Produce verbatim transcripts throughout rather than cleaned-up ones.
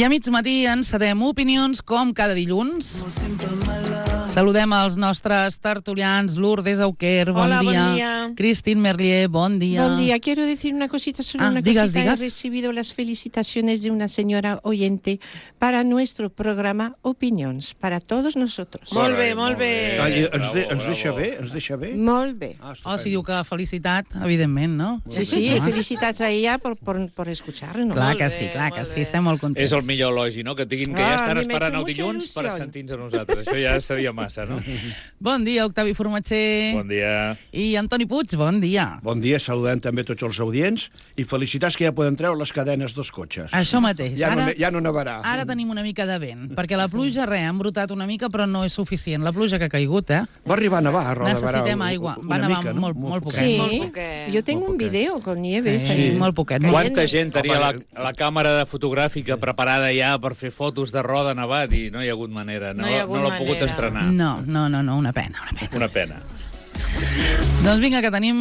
I a mig matí encedem opinions com cada dilluns. Saludem els nostres tertulians, Lourdes Auquer, bon Hola, día. buen día. Cristín Merlier, bon día. Buen día. Quiero decir una cosita sobre Ah, una digas, cosita. digas. He recibido las felicitaciones de una señora oyente para nuestro programa Opinions, para todos nosotros. Molt bé, molt bé. Ah, i ens, de, Bravo, ens deixa bravo. bé? Ens deixa bé? Molt bé. Ah, Oh, si diu que la felicitat, evidentment, no? Sí, sí, felicitats a ella por, por, por escucharnos. Clar Molt que bé, sí, clar que molt sí, bé. estem molt contents. És el millor elogi, no? Que diguin que Ah, ja a estan mi m'ha esperant hecho el mucha dilluns per il·lusió. sentir-nos a nosaltres. Això ja seria massa, no? Bon dia, Octavi Formatger. Bon dia. I Antoni Puig, bon dia. Bon dia, saludem també tots els audients i felicitats que ja poden treure les cadenes dels cotxes. Això mateix. Ja, Ara, no, ja no nevarà. ara tenim una mica de vent, perquè la pluja, res, ha embrutat una mica, però no és suficient. La pluja que ha caigut, eh? Va arribar a nevar a Roda de Barà. Necessitem aigua. Va una nevar mica, no? molt, molt poquet. Sí, Molt poquet. yo tengo Molt un poquet. video con nieve. Sí, ahí. molt poquet. Cayendo. Quanta gent tenia la, Home, la càmera de fotogràfica preparada ja per fer fotos de roda nevat i no hi ha hagut manera. No, No hi ha hagut no l'ha pogut manera. estrenar. No, no, no, no, una pena, una pena. Una pena. Doncs vinga, que tenim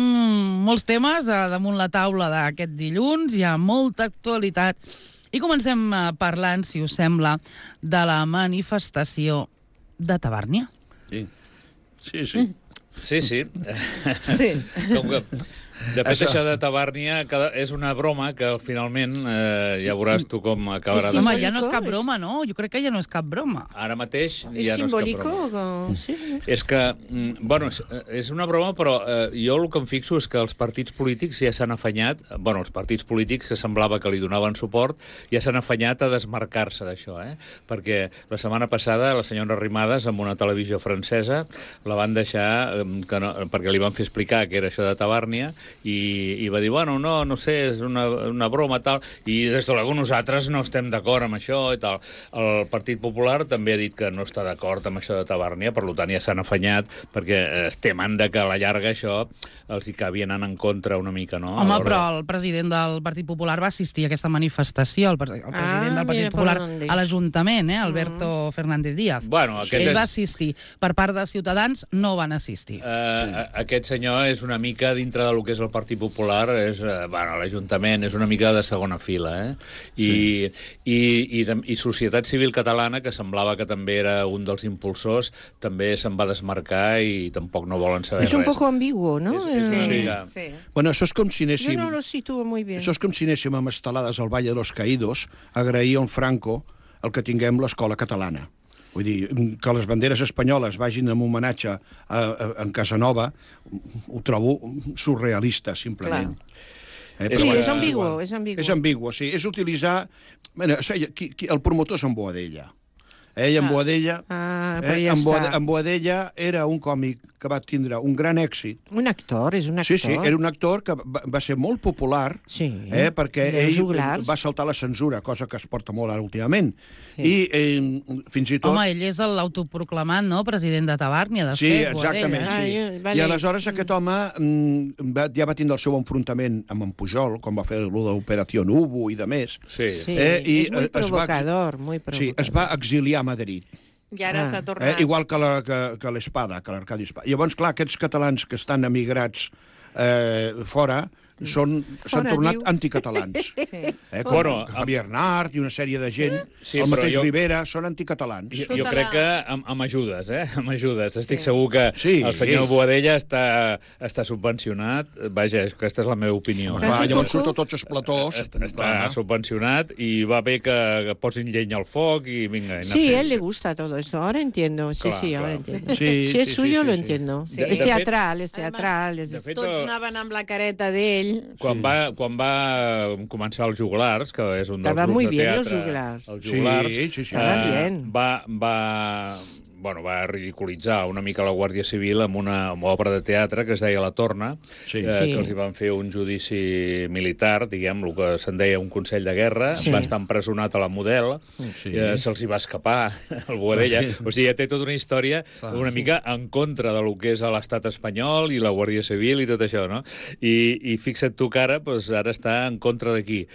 molts temes a damunt la taula d'aquest dilluns, hi ha molta actualitat. I comencem eh, parlant, si us sembla, de la manifestació de Tabàrnia. Sí, sí. sí. Sí, sí. Sí. Com que, de fet, Això. això de Tabàrnia cada- és una broma que finalment eh, ja veuràs tu com acabarà. Sí, de Home, ser. ja no és cap és- broma, no? Jo crec que ja no és cap broma. Ara mateix ¿Es ja no és cap simbólico? broma. o- Sí. És que, mm, bueno, és, és una broma, però eh, jo el que em fixo és que els partits polítics ja s'han afanyat, bueno, els partits polítics que semblava que li donaven suport, ja s'han afanyat a desmarcar-se d'això, eh? Perquè la setmana passada la senyora Arrimadas, amb una televisió francesa, la van deixar, eh, que no, perquè li van fer explicar que era això de Tabàrnia, i, i va dir, bueno, no, no sé, és una, una broma, tal, i des de luego nosaltres no estem d'acord amb això, i tal. El Partit Popular també ha dit que no està d'acord amb això de Tabàrnia, per tant ja s'han afanyat, perquè es temen de que a la llarga això els hi acabi anant en contra una mica, no? Home, Alhora- però el president del Partit Popular va assistir a aquesta manifestació, el, pre- el president Ah, del Partit mira por Popular, dónde. a l'Ajuntament, eh, Alberto Fernández Díaz. Bueno, aquest Ell és- va assistir. Per part de Ciutadans no van assistir. Uh, aquest senyor és una mica dintre del que és el Partit Popular, és, uh, bueno, l'Ajuntament és una mica de segona fila, eh? I, sí. i, i, i Societat Civil Catalana, que semblava que també era un dels impulsors, també se'n va desmarcar i tampoc no volen saber Es un res. poco ambiguo, ¿no? És- és una Eh, mica- Sí. Bueno, això és com si Yo anéssim... no lo sitúo muy bien. Això és com si anéssim amb estelades al Valle de los Caídos a agrair al Franco el que tinguem l'escola catalana. Vull dir, que les banderes espanyoles vagin en homenatge a, a, a Casanova, ho trobo surrealista, simplement. Eh, Sí, però és bueno, ambiguo, igual. és ambiguo. És ambiguo, sí. És utilitzar... Bueno, qui, qui, el promotor és en Boadella. Ell, en Boadella, Ah, però eh, ja en, està. Boade, en Boadella era un còmic que va tindre un gran èxit. Un actor, és un actor. Sí, sí, era un actor que va, va ser molt popular, Sí. eh, perquè De ell juglars. va saltar la censura, cosa que es porta molt ara últimament. Sí. I eh, fins i tot... Home, ell és l'autoproclamat, no?, president de Tabàrnia, de Sí, fet. exactament, Boadella, eh? sí. Ah, jo- vale. I aleshores aquest home mm, va, ja va tindre el seu enfrontament amb en Pujol, quan va fer el de l'Operació Nubo i de més. Sí. Sí, Eh, i, és muy eh, es va- provocador, muy provocador. Sí, es va exiliar a Madrid. I ara Ah. s'ha Eh, tornat. igual que la- que, que l'Espada, que l'Arcadi Espada. Llavors, clar, aquests catalans que estan emigrats eh, fora són- s'han Fora, tornat diu. anticatalans. Sí. Eh, com Bueno, Javier Nart i una sèrie de gent, Sí, el però mateix jo- Rivera, són anticatalans. Jo, Tota jo crec la- que amb, amb ajudes, eh? Amb ajudes. Estic segur que Sí. el senyor Boadella està, està subvencionat. Vaja, aquesta és la meva opinió. Home, eh? clar, Hace llavors poco- surt a tots els platós. Està, està Clar. subvencionat i va bé que, que posin llenya al foc i vinga. i anar Sí, fent. a él le gusta todo esto. Ahora entiendo. Sí, Claro, sí, ahora claro. entiendo. Sí, si es sí, suyo, sí, lo sí. entiendo. Sí. Es De teatral, es Además, teatral. Es de fet, Tots eh, anaven amb la careta d'ell. Quan, va, quan va començar els Joglars, que és un dels Estava grups muy de bien, teatre... los Joglars. Els Sí, Joglars, sí, sí, sí. Estaven bien. va, va, bueno, va ridiculitzar una mica la Guàrdia Civil amb una, amb una obra de teatre que es deia La Torna, Sí. eh, Sí. que els hi van fer un judici militar, diguem, el que se'n deia un Consell de Guerra, Sí. va estar empresonat a la Model, Sí. eh, se'ls hi va escapar el Boadella, Sí. o sigui, ja té tota una història Clar, una mica en contra de lo que és l'estat espanyol i la Guàrdia Civil i tot això, no? I, i fixa't tu que ara, doncs, ara està en contra d'aquí.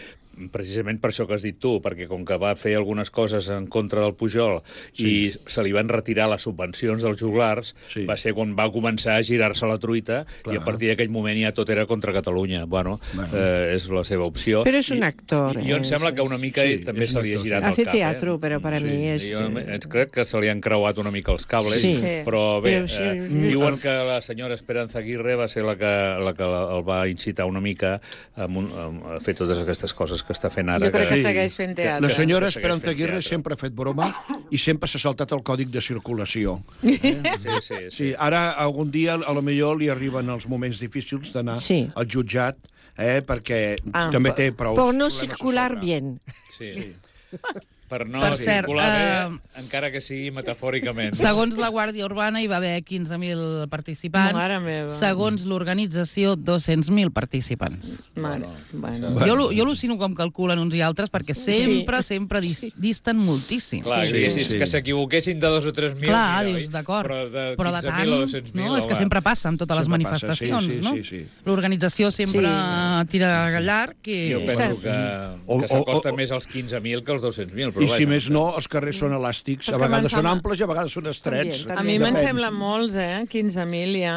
precisament per això que has dit tu, perquè com que va fer algunes coses en contra del Pujol sí. i se li van retirar les subvencions dels joglars, sí. va ser quan va començar a girar-se la truita. Clar. I a partir d'aquell moment ja tot era contra Catalunya. Bueno, bueno. Eh, és la seva opció. Però és un actor. I, i jo em sembla que una mica sí, també se li ha girat Hace el cap. Hace teatro, eh? però per a sí. mi és... Jo crec que se li han creuat una mica els cables, sí. però bé, però sí, eh, sí. diuen que la senyora Esperanza Aguirre va ser la que, la que el va incitar una mica a, un, a fer totes aquestes coses que està fent ara. Jo crec que, que segueix fent teatre. La senyora Esperanza Aguirre sempre ha fet broma i sempre s'ha saltat el còdic de circulació. Eh? Sí, sí, sí. sí, ara algun dia a lo millor li arriben els moments difícils d'anar sí. al jutjat, eh, perquè ah, també té prou... Per no circular bien. Sí. Per no per circular cert, bé, uh, encara que sigui metafòricament. Segons la Guàrdia Urbana hi va haver quinze mil participants. Mare meva. Segons l'organització, dos-cents mil participants. Mare, bueno. Jo, jo al·lucino com calculen uns i altres, perquè sempre, sí. sempre dis, disten moltíssim. Clar, sí, sí, sí. Que s'equivoquessin de dos o tres mil. Clar, mira, dius, d'acord. Però de, però de tant, no? És que sempre passa amb totes sempre les manifestacions, passa, sí, sí, no? Sí, sí. L'organització sempre sí. tira gallar. Que... Jo penso que, que s'acosta més als quinze mil que als dos-cents mil. I si més no, els carrers són elàstics, a vegades són amples i a vegades són estrets. A mi me'n sembla molts, eh? quinze mil ja.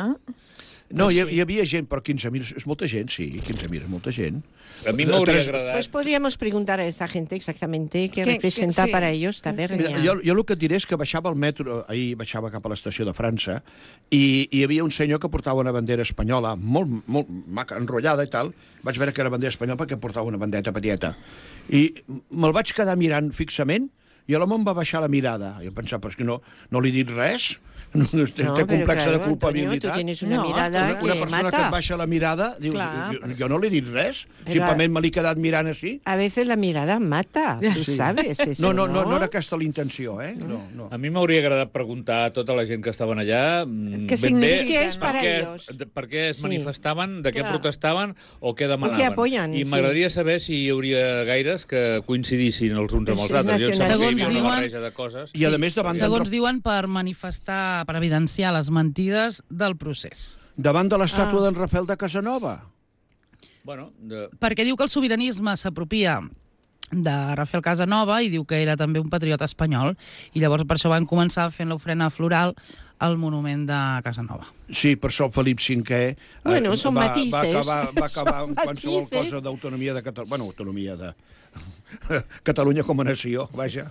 No, hi, hi havia gent, però quinze mil és molta gent, sí, quinze mil és molta gent. A mi m'hauria agradat. Pues podríamos preguntar a esta gente exactamente qué representa sí. para ellos Tabernia. Mira, jo, jo el que et diré és que baixava al metro, ahir baixava cap a l'estació de França, i hi havia un senyor que portava una bandera espanyola, molt, molt maca, enrotllada i tal. Vaig veure que era bandera espanyola perquè portava una bandeta petieta. I me'l vaig quedar mirant fixament i l'home em va baixar la mirada. Jo pensava, però és que no, no li he dit res. No, té no, complexa claro, de culpabilitat. Antonio, tu tienes una no, mirada una, que una persona mata. que et baixa la mirada diu, jo, jo no li he dit res, però simplement me l'he quedat mirant així. A veces la mirada mata, tu sí. sabes eso, no, no, no, no era aquesta l'intenció, eh? No, no. A mi m'hauria agradat preguntar a tota la gent que estaven allà què significa, què és per a ells, per què es sí. manifestaven, de què Clar. protestaven o què demanaven. O què apoyen, I m'agradaria sí. saber si hi hauria gaires que coincidissin els uns amb els altres. Jo em sembla que hi havia una barreja de coses. I a més davant segons diuen, per manifestar, per evidenciar les mentides del procés. Davant de l'estàtua ah. d'en Rafael de Casanova. Bueno, de... Perquè diu que el sobiranisme s'apropia de Rafael Casanova i diu que era també un patriota espanyol i llavors per això van començar fent l'ofrena floral al monument de Casanova. Sí, per això el Felip cinquè bueno, eh, són va, matices. va acabar, va acabar amb qualsevol cosa d'autonomia de Catalunya. Bueno, autonomia de Catalunya com a nació, vaja.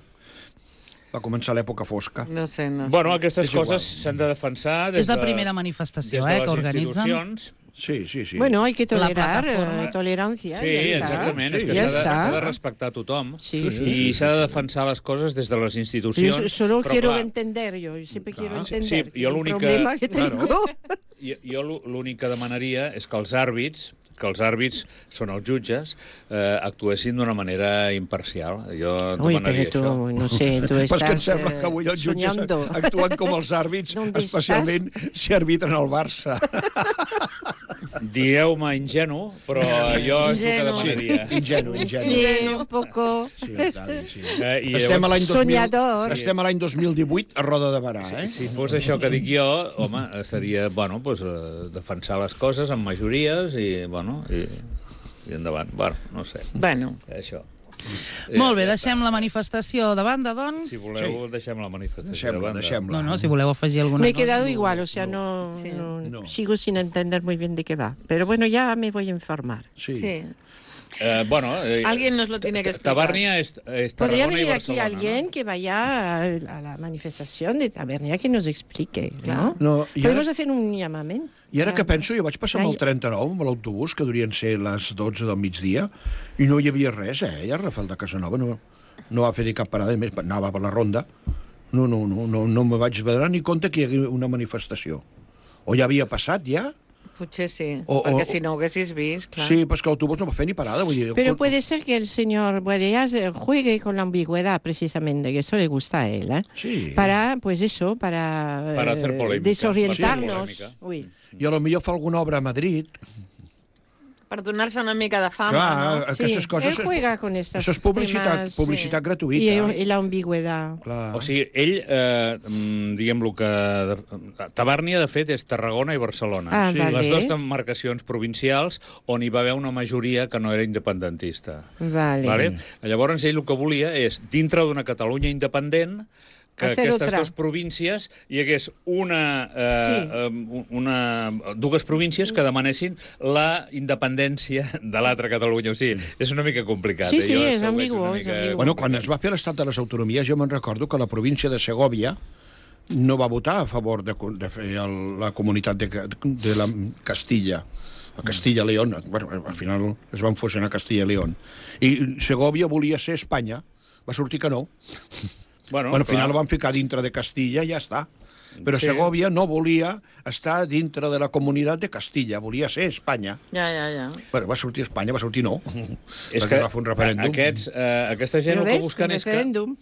Va començar l'època fosca. No sé, no sé. Bueno, aquestes coses s'han de defensar des de... És la primera manifestació, eh, que organitzen. Sí, sí, sí. Bueno, hay que tolerar, eh, tolerancia. Sí, ja exactament, sí, és que ja s'ha de, de respectar tothom sí, i s'ha sí, sí, de defensar les coses des de les institucions. Yo solo però, quiero clar, entender, yo siempre clar, quiero entender sí, jo el problema que tengo. Claro. Jo l'únic que demanaria és que els àrbits que els àrbits són els jutges, eh, actuessin d'una manera imparcial. Jo demanaria tu, això. No sé, tu estàs Però és que em sembla que avui els jutges soñando. actuen com els àrbits, especialment si arbitren el Barça. Dieu-me ingenu, però jo és el que demanaria. Sí, ingenu, ingenu. Sí, un poco... Sí, tal, sí. Eh, i estem a l'any dos mil, Soñador. estem a l'any dos mil divuit a Roda de Barà, eh? Si, si fos això que dic jo, home, seria, bueno, pues, eh, defensar les coses amb majories i, bueno, I, i endavant. Bueno, no sé. Bueno. Això. Molt bé, deixem la manifestació de banda, doncs. Si voleu, sí. deixem la manifestació deixem de banda. Deixem no, no, si voleu afegir alguna cosa. Me he cosa. quedado igual, o sea, no, sí. no, no. sigo sin entender muy bien de qué va. Pero bueno, ya me voy a informar. Sí. sí. Eh, bueno, eh, alguien nos lo tiene que explicar. Tabernia es, es Podría venir y aquí alguien ¿no? que vaya a, a la manifestación de Tabernia que nos explique, ¿no? no Podemos ara, hacer un llamament. I ara que penso, jo vaig passar amb el trenta-nou, amb l'autobús, que durien ser les dotze del migdia, i no hi havia res, eh? Ja Rafael de Casanova no, no va fer ni cap parada, més anava per la ronda. No, no, no, no, no me vaig veure ni compte que hi hagués una manifestació. O ja havia passat, ja? Potser sí, o, perquè o, si no ho haguessis vist, clar. Sí, però és que l'autobús no va fer ni parada. Vull dir, Pero puede ser que el señor Boadellas juegue con la ambigüedad, precisamente, que eso le gusta a él, ¿eh? Sí. Para, pues eso, para, para hacer polémica, desorientarnos. sí, Uy. I a lo millor fa alguna obra a Madrid. Per donar-se una mica de fama, Clar, ¿no? aquestes Sí, coses... él juega con estas Això és publicitat, temas, publicitat sí. gratuïta. Y, y la ambigüedad. Clar. O sigui, ell, eh, mm, diguem-lo que... Tabàrnia, de fet, és Tarragona i Barcelona. Ah, Sí. vale. Les dues demarcacions provincials on hi va haver una majoria que no era independentista. Vale. Vale? Llavors, ell el que volia és, dintre d'una Catalunya independent, que Hacer aquestes otra. dues províncies hi hagués una, eh, Sí. eh, una, dues províncies que demanessin la independència de l'altra Catalunya. O sigui, és una mica complicat. Sí, eh? sí, Jo és que ho veig ambigu, una és mica ambigu. Bueno, quan es va fer l'estat de les autonomies, jo me'n recordo que la província de Segòvia no va votar a favor de, de fer el, la comunitat de, de la Castilla, a Castilla-León. Bueno, al final es van fusionar Castilla i León. I Segòvia volia ser Espanya, va sortir que no. Bueno, Bueno, al final clar. el van ficar dintre de Castilla i ja està. Però Sí. Segòvia no volia estar dintre de la comunitat de Castilla, volia ser Espanya. Ja, ja, ja. Bueno, va sortir Espanya, va sortir no. És Perquè que va fer un referèndum. aquests, eh, aquesta gent Però el que ves, busquen un és que... referèndum.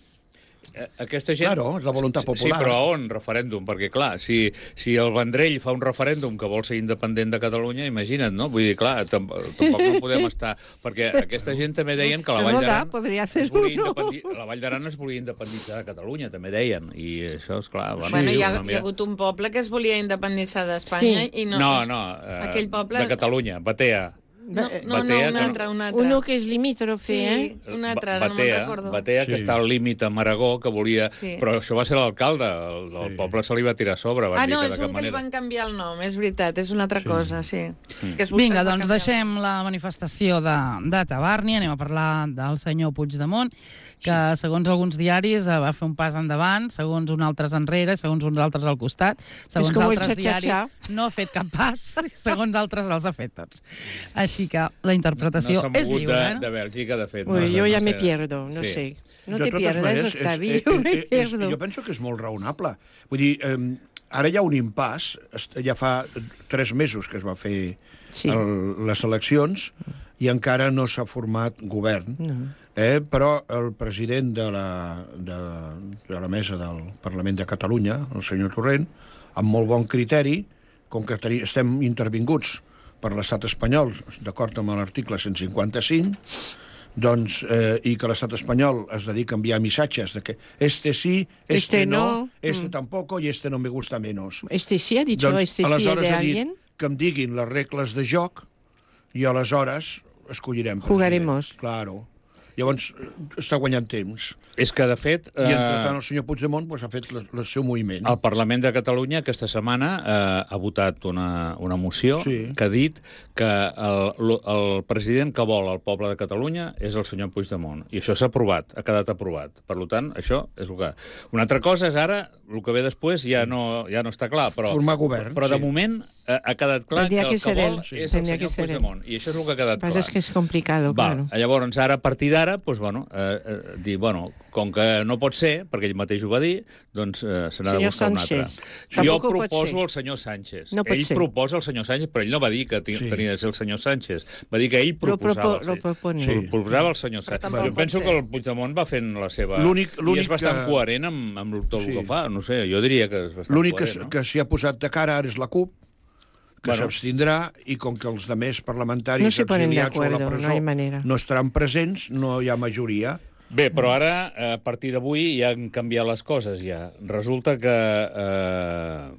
Eh, Aquesta gent... Claro, és la voluntat popular. Sí, però a on referèndum? Perquè, clar, si, si el Vendrell fa un referèndum que vol ser independent de Catalunya, imagina't, no? Vull dir, clar, tamp tampoc no podem estar... Perquè aquesta gent també deien que la Vall Roda, d'Aran... podria es ser volia uno. independi- La Vall d'Aran es volia independitzar de Catalunya, també deien. I això, és clar... Bueno, Bueno, hi ha, una hi mica- ha hagut un poble que es volia independitzar d'Espanya Sí. i no... No, no, eh, Aquell poble... de Catalunya, Batea. No, no, no, Batea, un que no- altre, un altre. Uno que és limítrofe, Sí, eh? un altre, ara no me'n Batea, recordo. Batea, que Sí. està al límit amb Aragó, que volia... Sí. Però això va ser l'alcalde, el, el Sí. poble se li va tirar a sobre, van Ah, dir no, que de és cap un que li manera. van canviar el nom, és veritat, és una altra cosa, sí. Que es, Vinga, es va doncs canviar. deixem la manifestació de, de Tabàrnia, anem a parlar del senyor Puigdemont, que segons alguns diaris eh, va fer un pas endavant, segons uns altres enrere, segons uns altres al costat, segons com el altres xa-xa-xa. diaris no ha fet cap pas, segons altres els ha fet tots. Així que la No interpretació s'ha és mogut lliure. de, eh? de Bèlgica, de fet. Uy, no sé, yo ya no me sé. pierdo, no Sí. sé. No De te totes pierdas, maneres, Octavi, és- yo és- me és- pierdo. Jo penso que és molt raonable. Vull dir, eh, ara hi ha un impàs, est- ja fa tres mesos que es va fer Sí. el, les eleccions i encara no s'ha format govern. No. Eh, però el president de la, de, de la mesa del Parlament de Catalunya, el senyor Torrent, amb molt bon criteri, com que teni, estem intervinguts per l'estat espanyol, d'acord amb l'article cent cinquanta-cinc, doncs, eh, i que l'estat espanyol es dedica a enviar missatges de que este sí, este, Este no, no, este mm. tampoco y este no me gusta menos. Este sí ha dicho Doncs, este sí aleshores de ha dit alguien. que em diguin les regles de joc i aleshores escollirem president. Jugaremos. Claro. Llavors, eh, està guanyant temps. És que, de fet... I, eh, entretant, el senyor Puigdemont pues, ha fet el, el seu moviment. El Parlament de Catalunya aquesta setmana eh, ha votat una, una moció Sí. que ha dit que el, el, el president que vol el poble de Catalunya és el senyor Puigdemont. I això s'ha aprovat, ha quedat aprovat. Per tant, això és el que... Una altra cosa és ara, el que ve després ja no, ja no està clar, però, Formar govern, però de sí. moment eh, ha quedat clar Tendría que que el que ser vol él, sí. és el Tendría que senyor ser él. Puigdemont. I això és el que ha quedat Lo que pasa clar. es que es complicado, Val, claro. llavors, ara, a partir d'ara, doncs, bueno, eh, eh, dir, bueno, com que no pot ser, perquè ell mateix ho va dir, doncs eh, se n'ha de Senyor buscar un Sánchez, altre. Jo tampoc pot proposo ser. el senyor Sánchez. No pot ell ser. proposa el senyor Sánchez, però ell no va dir que Sí. tenia de ser el senyor Sánchez. Va dir que ell Lo proposava. propo- lo propone. Sí. Sí. Proposava el senyor Sánchez. tampoc Jo pot penso ser. que el Puigdemont va fent la seva... L'únic- I l'únic és bastant que- coherent amb, amb tot el Sí. que fa. No sé, jo diria que és bastant L'únic que, coherent, no? que s'hi ha posat de cara ara és la CUP, que Bueno. s'abstindrà, i com que els demés parlamentaris No se ponen de exiliats o a la acuerdo, presó no hay manera. no estaran presents, no hi ha majoria. Bé, però ara, eh, a partir d'avui, ja han canviat les coses, ja. Resulta que eh,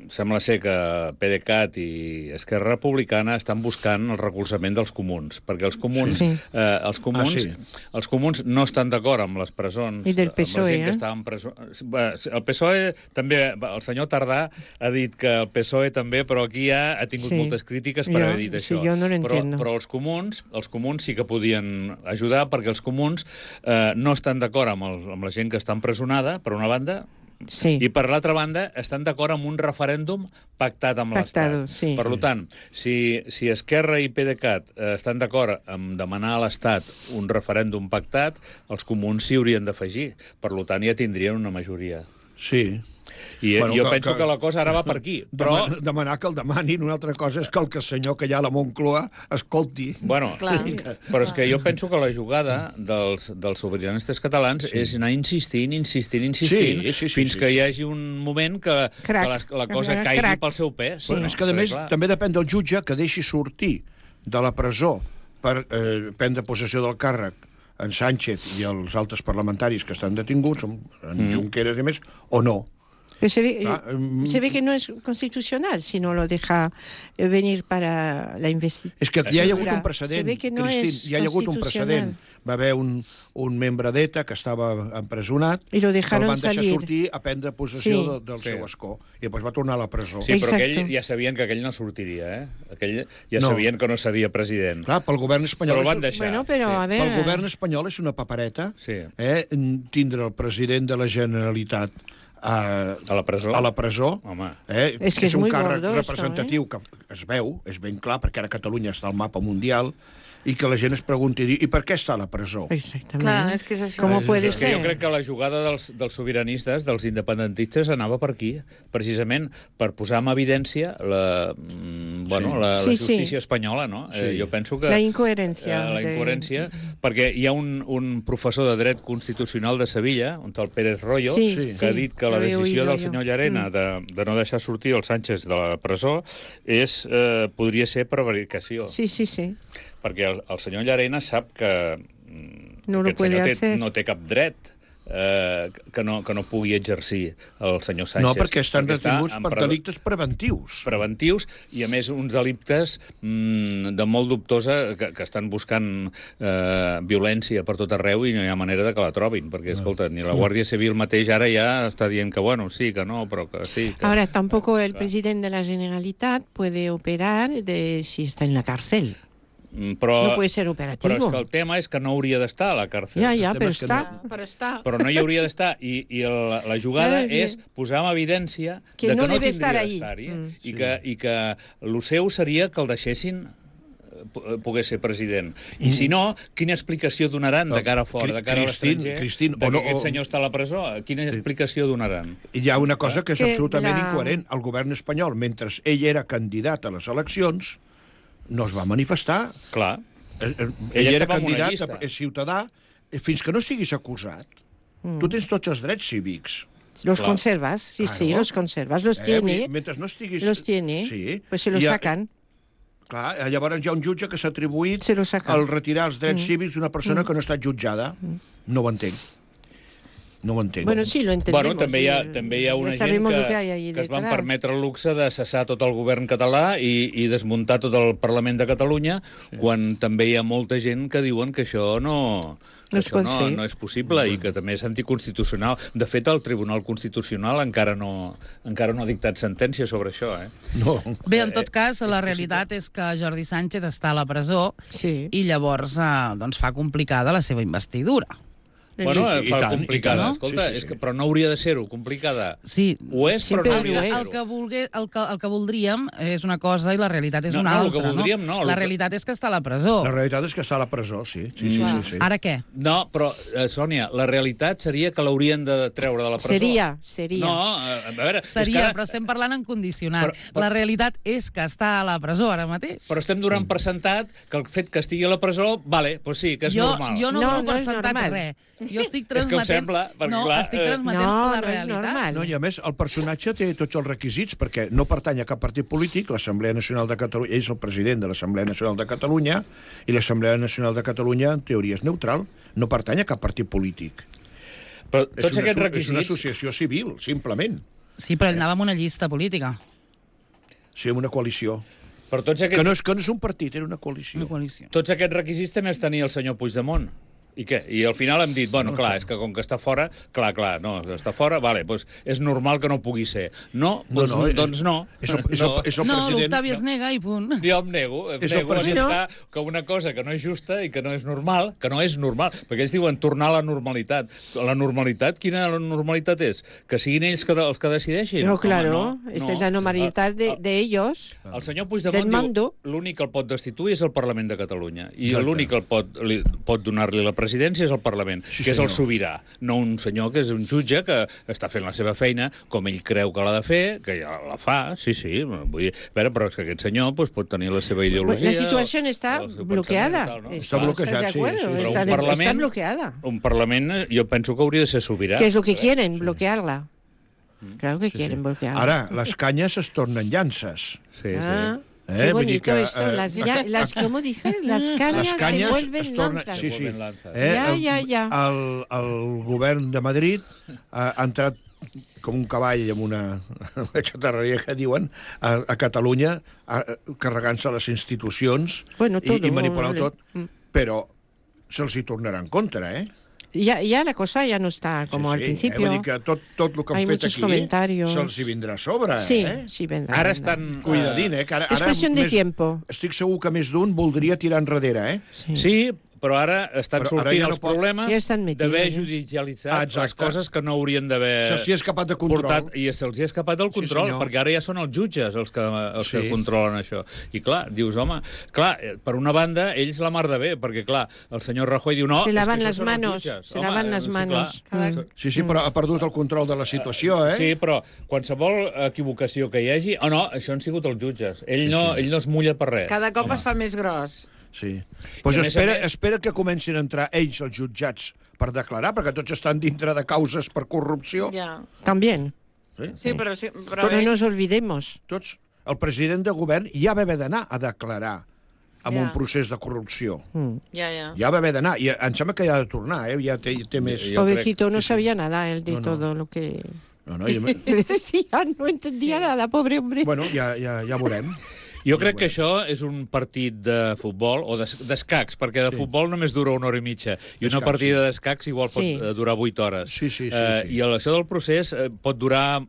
sembla ser que PDeCAT i Esquerra Republicana estan buscant el recolzament dels comuns, perquè els comuns, Sí. eh, els comuns, Ah, sí. els comuns no estan d'acord amb les presons, I del amb P S O E, la gent que eh? està en presó. Bé, El P S O E també, el senyor Tardà ha dit que el P S O E també, però aquí ja ha tingut Sí. moltes crítiques per Jo- haver dit sí, això. jo no lo però, entiendo. però els comuns, els comuns sí que podien ajudar, perquè els comuns eh, no estan d'acord amb, el, amb la gent que està empresonada, per una banda, Sí. i per l'altra banda estan d'acord amb un referèndum pactat amb Pactado, l'Estat. sí. Per tant, si, si Esquerra i PDeCAT eh, estan d'acord amb demanar a l'Estat un referèndum pactat, els comuns s'hi haurien d'afegir. Per tant, ja tindrien una majoria. Sí. I Bueno, bueno, jo que- penso que... que que la cosa ara va per aquí. Però, Dema- Demanar que el demanin, una altra cosa és que el que senyor que hi ha a la Moncloa escolti. bueno, Clar. però és que jo penso que la jugada dels, dels sobiranistes catalans sí. és anar insistint, insistint, insistint, Sí, sí, sí, fins sí, que sí. hi hagi un moment que, Crac. que la, la cosa Crac. caigui Crac. pel seu pes. Bueno, no? és que, a Perquè, més, clar, també depèn del jutge que deixi sortir de la presó per eh, prendre possessió del càrrec en Sánchez i els altres parlamentaris que estan detinguts, en mm. Junqueras i més, o no. Pero se ve, Ah, mm, se ve que no es constitucional si no lo deja eh, venir para la investigación. És que ja hi ha hagut un precedent, Se ve que no Cristín, es ja hi ha hagut un constitucional. precedent. Va haver un, un membre d'ETA que estava empresonat, I lo que el dejaron van deixar salir. sortir a prendre possessió Sí. de, del Sí. seu escó, i després va tornar a la presó. Sí, però Exacto. aquell ja sabien que aquell no sortiria, eh? Aquell ja No. sabien que no seria president. Clar, pel govern espanyol... Però el és- van deixar. Bueno, pero sí. a ver... Pel govern espanyol és una papereta Sí. eh, tindre el president de la Generalitat a, A la presó? A la presó. Home. Eh, És que és un muy càrrec gordo, representatiu esto, que es veu, és ben clar, perquè ara Catalunya està al mapa mundial, i que la gent es pregunti, i per què està a la presó? Exactamente. Clar, és que és això. ¿Cómo puede És que ser? jo crec que la jugada dels, dels sobiranistes, dels independentistes, anava per aquí, precisament per posar en evidència la, mm, bueno, Sí. la, la Sí, sí. justícia espanyola, no? Sí. Eh, jo penso que... La incoherència Eh, la de- incoherència, perquè hi ha un, un professor de dret constitucional de Sevilla, un tal Pérez Royo, Sí, que sí, ha dit que la lo he decisió oído del yo. senyor Llarena Mm. de, de no deixar sortir el Sánchez de la presó és, eh, podria ser prevaricació. Sí, sí, sí. Perquè el, el senyor Llarena sap que mm, No lo aquest puede senyor té, hacer. no té cap dret eh, que, no, que no pugui exercir el senyor Sánchez. No, perquè estan està detinguts en per pre- delictes preventius. preventius i, a més, uns delictes mm, de molt dubtosa que, que estan buscant eh, violència per tot arreu i no hi ha manera de que la trobin, perquè, escolta, ni la Guàrdia Civil mateix ara ja està dient que, bueno, sí, que no, però que sí. Que... Ahora, tampoco el Claro. presidente de la Generalitat puede operar de si está en la cárcel. Mm, Però, No puede ser operativo. però és que el tema és que no hauria d'estar a la càrcel. Ya, ya, El tema pero es que está... Però està... Però no hi hauria d'estar. I, i la, la jugada Claro, sí. és posar en evidència Que de no que no debe tindria estar ahí. d'estar-hi, Mm. i, que, i que el seu seria que el deixessin eh, po- pogués ser president. I si no, quina explicació donaran de cara a fora, de cara a Cristín, l'estranger, Cristín, de o que no- aquest o- senyor està a la presó? Quina explicació donaran? I hi ha una cosa que és Que absolutament la- incoherent. El govern espanyol, mentre ell era candidat a les eleccions, no es va manifestar. Clar. Eh, eh, Ell Ell era estava en una candidat, llista. a- és ciutadà, eh, fins que no siguis acusat. Mm. Tu tens tots els drets cívics. Los Claro. conservas, sí, sí, Claro. los conservas, los Eh, tiene, mentre no estiguis... los tiene, Sí. pues se los I ha- sacan. Clar, llavors hi ha un jutge que s'ha atribuït Se lo sacan. al retirar els drets Mm. cívics d'una persona que no ha estat jutjada. No ho entenc. No ho entenc. Bueno, sí, lo entendemos. Bueno, també hi ha, eh, també hi ha una ya gent sabemos que, lo que hay ahí que es van detrás. permetre el luxe de cessar tot el govern català i, i desmuntar tot el Parlament de Catalunya, sí. quan també hi ha molta gent que diuen que això no, que No es això pot no, fer. no és possible i que també és anticonstitucional. De fet, el Tribunal Constitucional encara no, encara no ha dictat sentència sobre això. Eh? No. Bé, en tot cas, la realitat és que Jordi Sánchez està a la presó Sí. i llavors eh, doncs fa complicada la seva investidura. Bueno, Sí, sí, i fa tant, i complicada. tant. Escolta, Sí, sí, és sí. que, però no hauria de ser-ho, complicada. Sí, Ho és, però Sempre no ho hauria de és. el ser-ho. que, volgué, el, que, el que voldríem és una cosa i la realitat és No, una no, el altra. que voldríem no, el La que- realitat és que està a la presó. La realitat és que està a la presó, sí. Sí, sí, Clar. sí, sí. Ara què? No, però, eh, Sònia, la realitat seria que l'haurien de treure de la presó. Seria, seria. No, eh, a veure... és que Seria, ara- però estem parlant en condicionat. Però- però- La realitat és que està a la presó ara mateix. Però estem donant per sentat que el fet que estigui a la presó, vale, doncs sí, que és jo, normal. jo no, No, dono no per és sentat normal. res. Jo estic És que ho transmetent... sembla, perquè, no, clar, estic eh, transmetent No, la no és realitat. normal. No, i a més, el personatge té tots els requisits perquè no pertany a cap partit polític, l'Assemblea Nacional de Catalunya, ell és el president de l'Assemblea Nacional de Catalunya, i l'Assemblea Nacional de Catalunya, en teoria, és neutral, no pertany a cap partit polític. Però És tots una, aquests asso- és una requisits... associació civil, simplement. Sí, però ell anava amb una llista política. Sí, una coalició. Però tots Que aquests, no és, que no és un partit, era una coalició. Una coalició. tots aquests requisits també els tenia el senyor Puigdemont. I què? I al final hem dit, bueno, clar, és que com que està fora, clar, clar, no, està fora, vale, doncs és normal que no pugui ser. No, doncs no, no, doncs no. És el, és el, és el No, president... l'Octavi es nega i punt. Jo em nego, em És el nego a president. acceptar que una cosa que no és justa i que no és normal, que no és normal, perquè ells diuen tornar a la normalitat. La normalitat, quina normalitat és? Que siguin ells que, els que decideixin? Pero Home, claro, no, esa no. es la normalidad de, El- de ellos. El senyor Del Puigdemont mando. diu l'únic que el pot destituir és el Parlament de Catalunya i Exacte. l'únic que el pot, li, pot donar-li la presidència és el Parlament, Sí, que és el senyor. sobirà, no un senyor que és un jutge que està fent la seva feina com ell creu que l'ha de fer, que ja la fa, sí, sí, vull dir, a veure, però és que aquest senyor doncs, pot tenir la seva ideologia... La situación está el seu bloqueada. pensament i tal, no? Està Clar. bloquejat, ¿Estás de sí, acuerdo? sí, sí. Però Está, un de- parlament- está bloqueada. Un Parlament, eh, jo penso que hauria de ser sobirà. ¿Qué es lo que quieren? Bloquearla. Claro que Sí, quieren sí. bloquearla. Ara, les canyes es tornen llances. Sí, sí. Ah, Qué Eh? Vull dir bonito que, esto, eh, las, ya, las, ¿cómo dices? Las cañas, les canyes se vuelven es torna... lanzas. Sí, sí. Se vuelven lanzas. Eh? Ja, el, ja, ja. El, el govern de Madrid ha, ha entrat com un cavall amb una, una xatarreria que diuen a, a Catalunya, a, carregant-se les institucions Bueno, i, todo, i manipulant vale. tot, però se'ls hi tornarà en contra, eh? Ya, ya la cosa ya no está como sí, al sí, principio. Eh? Vull dir que tot, tot el que han Hay fet muchos aquí comentarios. se'ls hi vindrà a sobre, Sí, eh? sí, vendrá. Ara vendrá. estan... Cuidadín, eh? Que ara, Es ara cuestión de més- tiempo. Estic segur que més d'un voldria tirar enrere, eh? Uh, sí, però ara estan Però ara sortint ja no els pot- problemes Ja estan metidos, d'haver eh? judicialitzat Ah, exacte. les coses que no haurien d'haver Se'ls hi ha escapat de control. portat, i se'ls hi ha escapat del control, senyor. perquè ara ja són els jutges els que, els Sí. que controlen això. I clar, dius, home, clar, eh, per una banda, ells la mar de bé, perquè clar, el senyor Rajoy diu, no, Se és lavan que las això són els manos, jutges. se lavan las sí, manos. clar. Mm. Sí, sí, però ha perdut el control de la situació, eh? Sí, però qualsevol equivocació que hi hagi... Oh, no, això han sigut els jutges. Ell, no, ell no es mulla per res. Cada cop Home. es fa més gros. Sí. Pues I a més a espera, més- espera que comencin a entrar ells, els jutjats, per declarar, perquè tots estan dintre de causes per corrupció. Ja. También. Sí, però... Sí, però Pero bé, no nos olvidemos. Tots, el president de govern ja va haver d'anar a declarar amb Ja. un procés de corrupció. ja, ja. Ja va haver d'anar, i em sembla que ja ha de tornar, eh? Ja té, té més... Jo Pobrecito, no sí, sí. sabía nada él de No, no. todo lo que No, no, ja, le decía, no entendía nada, pobre hombre. bueno, ja, ja, ja veurem. Jo crec que això és un partit de futbol, o d'es- d'escacs, perquè de Sí. futbol només dura una hora i mitja, i una D'escacs, partida d'escacs igual pot Sí. eh, durar vuit hores. Sí, sí, sí, Eh, sí. I això del procés eh, pot durar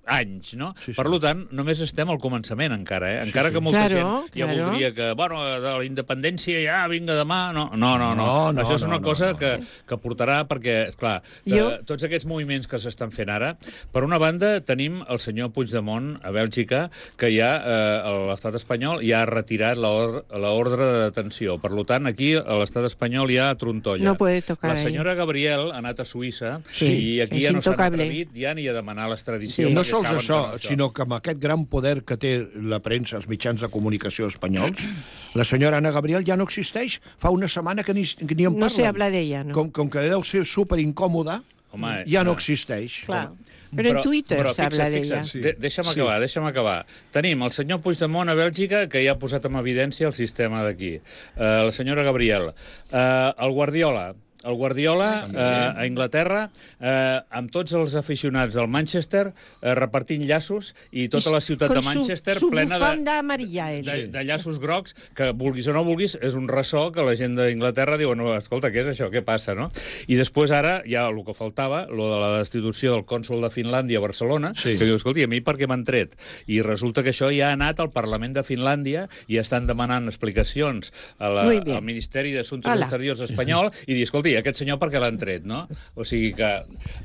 anys, no? Sí, sí. Per tant, només estem al començament encara, eh? Encara sí. que molta Claro, gent ja claro. voldria que, bueno, de la independència ja vinga demà... No, no, no. no. No, no, Això és una no, no, cosa no. que, que portarà, perquè, esclar, que Jo- tots aquests moviments que s'estan fent ara, per una banda tenim el senyor Puigdemont a Bèlgica, que ja eh, l'estat espanyol ja ha retirat l'or- l'ordre de detenció. Per tant, aquí a l'estat espanyol hi ha trontolla. No puede tocar La ahí. senyora Gabriel ha anat a Suïssa Sí, i aquí és ja no s'han intocable. atrevit ja ni a demanar l'extradició. Sí. No perquè sols saben això, que no, sinó que amb aquest gran poder que té la premsa, els mitjans de comunicació espanyols, la senyora Ana Gabriel ja no existeix. Fa una setmana que ni, que ni en No parlen. se habla de ella, ¿no? Com, com que deu ser super incòmoda, Home, ja no eh, existeix. Clar. Pero en Twitter se habla de ella. Sí. De deixa'm Sí. acabar, deixa'm acabar. Tenim el senyor Puigdemont a Bèlgica, que ja ha posat en evidència el sistema d'aquí. Uh, la senyora Gabriel. Uh, el Guardiola. El Guardiola eh, a Anglaterra, eh, amb tots els aficionats del Manchester, eh, repartint llaços, i tota la ciutat Con de Manchester su, su plena de, bufanda amarilla, él. de, de llaços grocs, que vulguis o no vulguis, és un ressò que la gent d'Inglaterra diu, no, escolta, què és això, què passa, no? I després ara, ja el que faltava, lo de la destitució del cònsol de Finlàndia a Barcelona, Sí. que diu, escolta, a mi per què m'han tret? I resulta que això ja ha anat al Parlament de Finlàndia i estan demanant explicacions a la, Muy bien. al Ministeri d'Assumptes Hala. Exteriors espanyol i dir, escolta, i aquest senyor per què l'han tret, no? O sigui que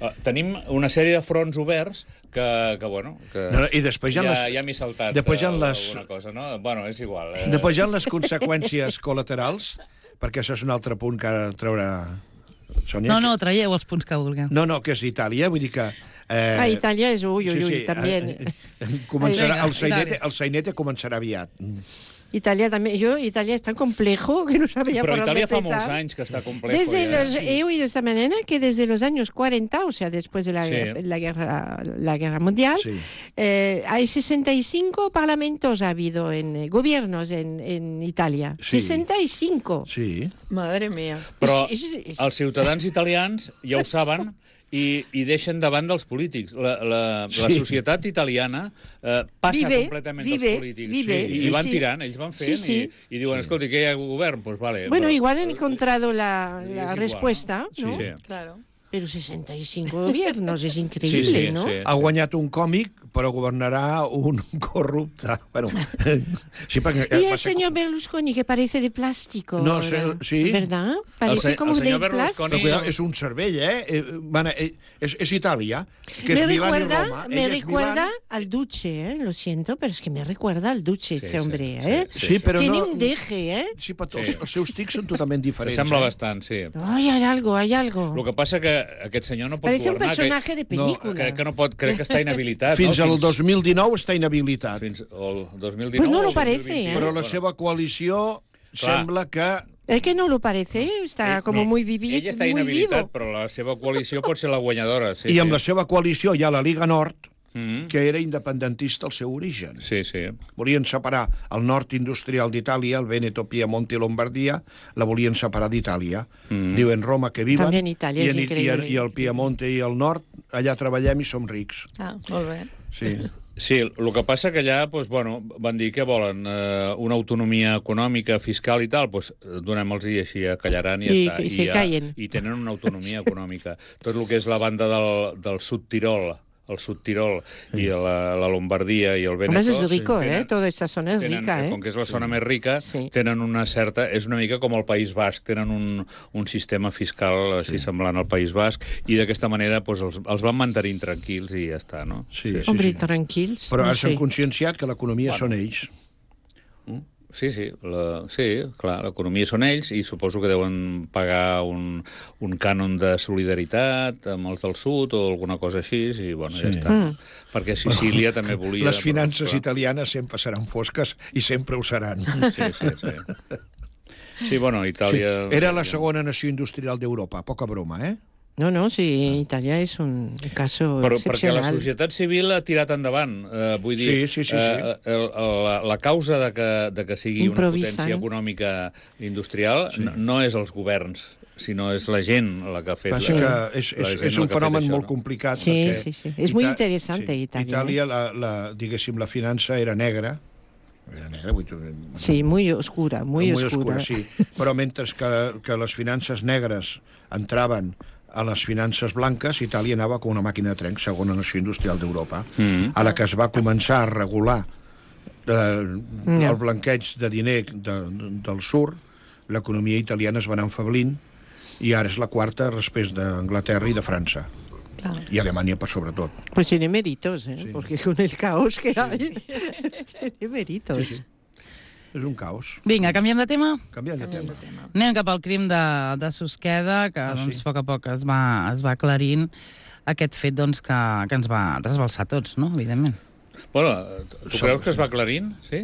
uh, tenim una sèrie de fronts oberts que, que bueno... Que No, no, i després hi ha ja, les- ja m'he saltat després hi ha eh, les- alguna cosa, no? Bueno, és igual. Eh? Després hi ha les conseqüències col·laterals, perquè això és un altre punt que ara traurà Sònia. No, no, traieu els punts que vulgueu. No, no, que és Itàlia, vull dir que... Eh, Ah, Italia es uy, uy, uy, también. eh, eh, començarà, Vinga, el, sainete, Itàlia. el sainete començarà aviat. Italia también. Yo, Italia es tan complejo que no sabía Però por dónde Itàlia fa empezar. molts anys que està complejo. Desde ja. los, he oído esta mañana que desde los años cuarenta, o sea, después de la, Sí. la, guerra, la guerra mundial, Sí. eh, hay sesenta y cinco parlamentos ha habido en eh, gobiernos en, en Italia. Sí. sesenta y cinco. Sí. Madre mía. Però És- és- és- els ciutadans italians ja ho saben i, i deixen davant dels polítics. La, la, la Sí. societat italiana eh, passa Vive, completament vive, dels polítics. vive, sí, I, sí, i van sí. tirant, ells van fent Sí, sí. i, i diuen, escolta, què hi ha govern? Doncs pues vale. Bueno, però- igual han encontrado la, És la igual, respuesta, no? ¿no? Sí. Claro. Pero sesenta y cinco gobiernos, es increíble, Sí, sí, ¿no? sí. Ha guanyat un còmic, però governarà un corrupte. Bueno, sí, perquè... Y va el ser- señor Berlusconi, que parece de plástico. No, ahora, sé, sí. ¿Verdad? El Parece se- como el de señor Però Berlusconi- plástico. cuidado, és un cervell, eh? eh van, eh és, és Itàlia, que Me és Milán i recuerda, Roma. me Ell és recuerda Milán. al Duce, ¿eh? Lo siento, pero es que me recuerda al Duce Sí, este sí, hombre, sí, ¿eh? sí, Sí, però Tiene no... un deje, ¿eh? Sí, però tots, Sí. els seus tics són totalment diferents. Sembla eh? bastant, sí. Ay, hay algo, hay algo. El que passa que aquest senyor no pot Parece un governar. personaje de que, película. crec que no pot, crec que està inhabilitat. Fins no? al dos mil dinou està inhabilitat. Fins al dos mil dinou. Pues no lo o parece, dos mil vint. ¿eh? Però la seva coalició Clar. sembla que... Es que no lo parece, ¿eh? Está Ell- como no, muy, vivi Ell està muy inhabilitat, vivo. però la seva coalició pot ser la guanyadora. Sí, I amb sí. la seva coalició hi ha la Liga Nord, Mm. que era independentista al seu origen. Sí, sí. Volien separar el nord industrial d'Itàlia, el Veneto, Piemonte i Lombardia, la volien separar d'Itàlia. Mm. Diuen Roma que viven, També en Itàlia, i, és en, i, increïble. i el Piemonte i el nord, allà treballem i som rics. Ah, molt bé. Sí. Sí, el que passa que allà doncs, bueno, van dir que volen eh, una autonomia econòmica, fiscal i tal, doncs donem-los-hi així, callaran i, I, ja està. i se ja, callen. I tenen una autonomia econòmica. Tot el que és la banda del, del Sud Tirol, el Sud Tirol sí. i la, la Lombardia i el Veneto... Hombre, es rico, tenen, ¿eh? Toda esta zona es tenen, rica, ¿eh? Com que és la zona sí. més rica, sí. tenen una certa... És una mica com el País Basc, tenen un, un sistema fiscal així sí. semblant al País Basc, i d'aquesta manera doncs, els, els van mantenint tranquils i ja està, no? Sí, sí, Hombre, sí. tranquils. Però no ara s'han sé. conscienciat que l'economia Bueno. són ells. Sí, sí, la, sí, clar, l'economia són ells i suposo que deuen pagar un, un cànon de solidaritat amb els del sud o alguna cosa així, i bueno, sí. ja està. Mm. Perquè Sicília també volia... Les finances però, italianes sempre seran fosques i sempre ho seran. Sí, sí, sí. Sí, bueno, Itàlia... Sí. Era la segona nació industrial d'Europa, poca broma, eh? No, no, sí, Italia és un caso Però, excepcional. perquè la societat civil ha tirat endavant. Eh, vull dir, Sí, sí, sí, sí. Eh, el, el, la, la causa de que, de que sigui una Improvisant. potència econòmica industrial sí. no, no és els governs, sinó és la gent la que ha fet... Passa la, que és, la és, gent és la un que ha fet fenomen això, molt no? complicat. Sí, perquè sí, sí. És muy interesante sí. Italia. Itàlia, la, la, diguéssim, la finança era negra, era negra, vull dir, Sí, muy oscura, muy, muy oscura. oscura, sí. Però mentre que, que les finances negres entraven a les finances blanques, Itàlia anava com una màquina de tren, segona nació industrial d'Europa. Mm. A la que es va començar a regular eh, Yeah. el blanqueig de diner de, del sur, l'economia italiana es va anar enfablint i ara és la quarta després d'Anglaterra i de França. Claro. Y Alemania, pues, sobre todo. Pues tiene méritos, ¿eh? Sí. Porque con el caos que hay, tiene méritos. Sí, sí. És un caos. Vinga, canviem de tema? Canviant de Canviem tema. de tema. Anem cap al crim de, de Susqueda, que Ah, doncs, sí? a poc a poc es va, es va aclarint aquest fet doncs, que, que ens va trasbalsar a tots, no? Evidentment. Bueno, tu creus que es va aclarint? Sí?